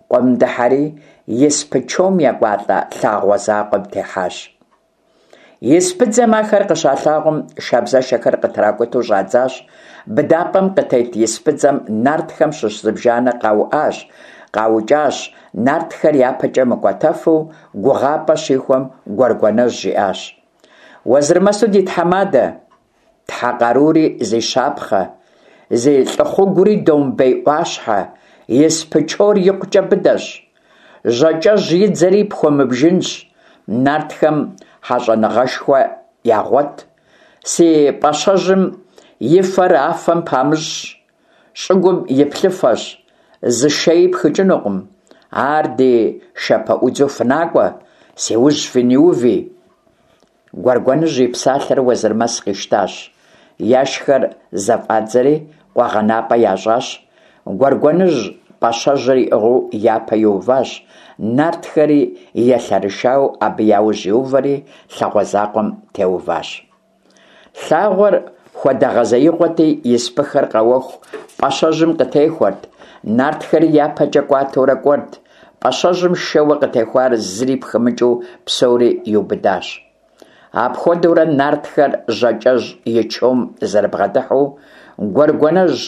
Къуэм дыхьэри, испы чом екӏуалӏэ лъагъуэ закъуэм техьащ. Испыдзэм ахэр къыщалъагъум, шабзэшэхэр къытракӏутэу щӏадзащ. Быдапӏэм къытет испыдзэм нартхэм щыщ зыбжанэ къауӏащ, къаукӏащ, нартхэр япэкӏэ мыкӏуэтэфу гугъапӏэ щихуэм Гуэргуэнэжь жиӏащ. Уэзырмэсу ди тхьэмадэ! Тхьэ къарури зи щапхъэ, зи лӏыхъугури домбей ӏуащхьэ, испы чор икъукӏэ быдэщ. Жьакӏэжь и дзэри пхуэмыбжынщ, нартхэм хьэщӏэныгъэшхуэ ягъуэт. Си пӏащэжьым и фэр афэм памыщӏщ, щӏыгум и плъыфэщ, зы шэи пхыкӏынукъым. Ар ди шэпэӏудзу фынакӏуэ, си ужь фыниуви. Гуэргуэныжь и псалъэр Уэзырмэс къищтащ. Яшхэр зэфӏадзэри къуэгъэнапӏэ ящӏащ. Гуэргуэныжь пӏащэжьыр иӏыгъыу япэ иуващ, нартхэри елъэрышауэ абы яужь иувэри лъагъуэ закъуэм теуващ. Лъагъуэр хуэдэгъэзеигъуэти, испыхэр къэуэху пӏащэжьым къытехуэрт, нартхэри япэкӏэ кӏуатэурэ кӏуэрт. Пӏащэжьым шэуэ къытехуар зыри пхымыкӏыу псори иубыдащ. Апхуэдэурэ нартхэр Жьакӏэжь и чом зэрыбгъэдыхьэу, Гуэргуэнэжь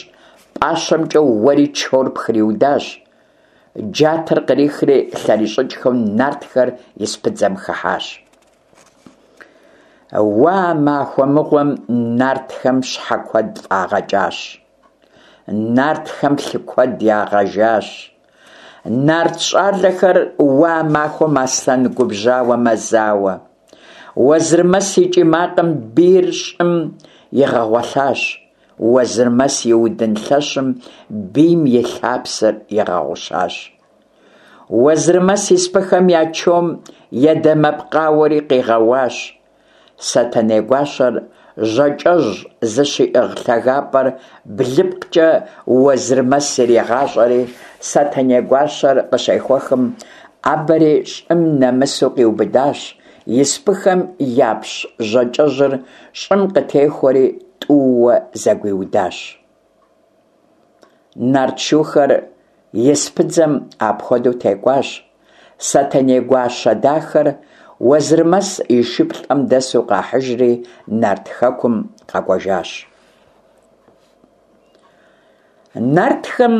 пӏащэмкӏэ уэри чор пхриудащ. Джатэр кърихри лъэрищӏыкӏхэу нартхэр испыдзэм хыхьащ. Уэ а махуэ мыгъуэм нартхэм щхьэ куэд фӏагъэкӏащ. Нартхэм лъы куэд ягъэжащ. Нарт щӏалэхэр уэ а махуэм аслъэн губжьауэ мэзауэ. Уэзырмэс и кӏий макъым бийр щӏым игъэгъуэлъащ. Уэзырмэс и удын лъэщым бийм и лъапсэр игъэгъущащ. Уэзырмэс испыхэм я чом едэмэпкъауэри къигъэуащ. Сэтэней гуащэр Жьакӏэжь зыщиӏыгъ лъагапӏэр блыпкъкӏэ Уэзырмэс иригъащӏэри, Сэтэней гуащэр къыщехуэхым, ӏэбэри щӏым нэмысу къиубыдащ, испыхэм япщ Жьакӏэжьыр щӏым къытехуэри тӏууэ зэгуиудащ. Нарт шухэр испыдзэм апхуэдэу текӏуащ. Сэтэней гуащэ дахэр Уэзырмэс и шыплӏэм дэсу къахьыжри Нарт хэкум къэкӏуэжащ. Нартхэм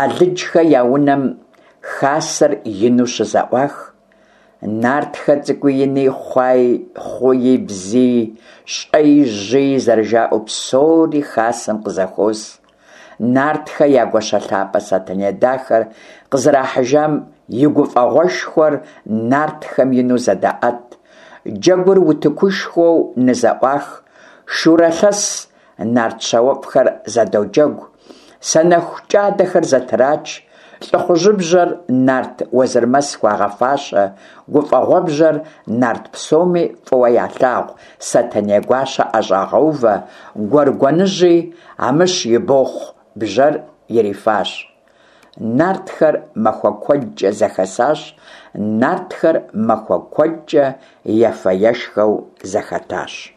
Алыджхэ я унэм хасэр ину щызэӏуах. Нартхэ цӏыкӏуи ини, хъуаи, хъуи, бзии, щӏэи, жьыи зэрыжаӏэу псори хасэм къызэхуос. Нартхэ я гуащэ лъапӏэ Сэтэней дахэр къызэрахьыжам и гуфӏэгъуэшхуэр нартхэм ину зэдаӏэт. Джэгур утыкушхуэу нызэӏуах, шурэ лъэс нарт щауэфӏхэр зэдоджэгу, санэху кӏадэхэр зэтрач, лӏыхъужьыбжьэр нарт Уэзырмэс хуагъэфащэ, гуфӏэгъуэбжьэр нарт псоми фӏыуэ ялъагъу Сэтэней гуащэ ӏэщӏагъэувэ, Гуэргуэныжьи Амыщ и бохъу бжьэр ирифащ. Нартхэр махуэ куэдкӏэ зэхэсащ, нартхэр махуэ куэдкӏэ ефэ-ешхэу зэхэтащ.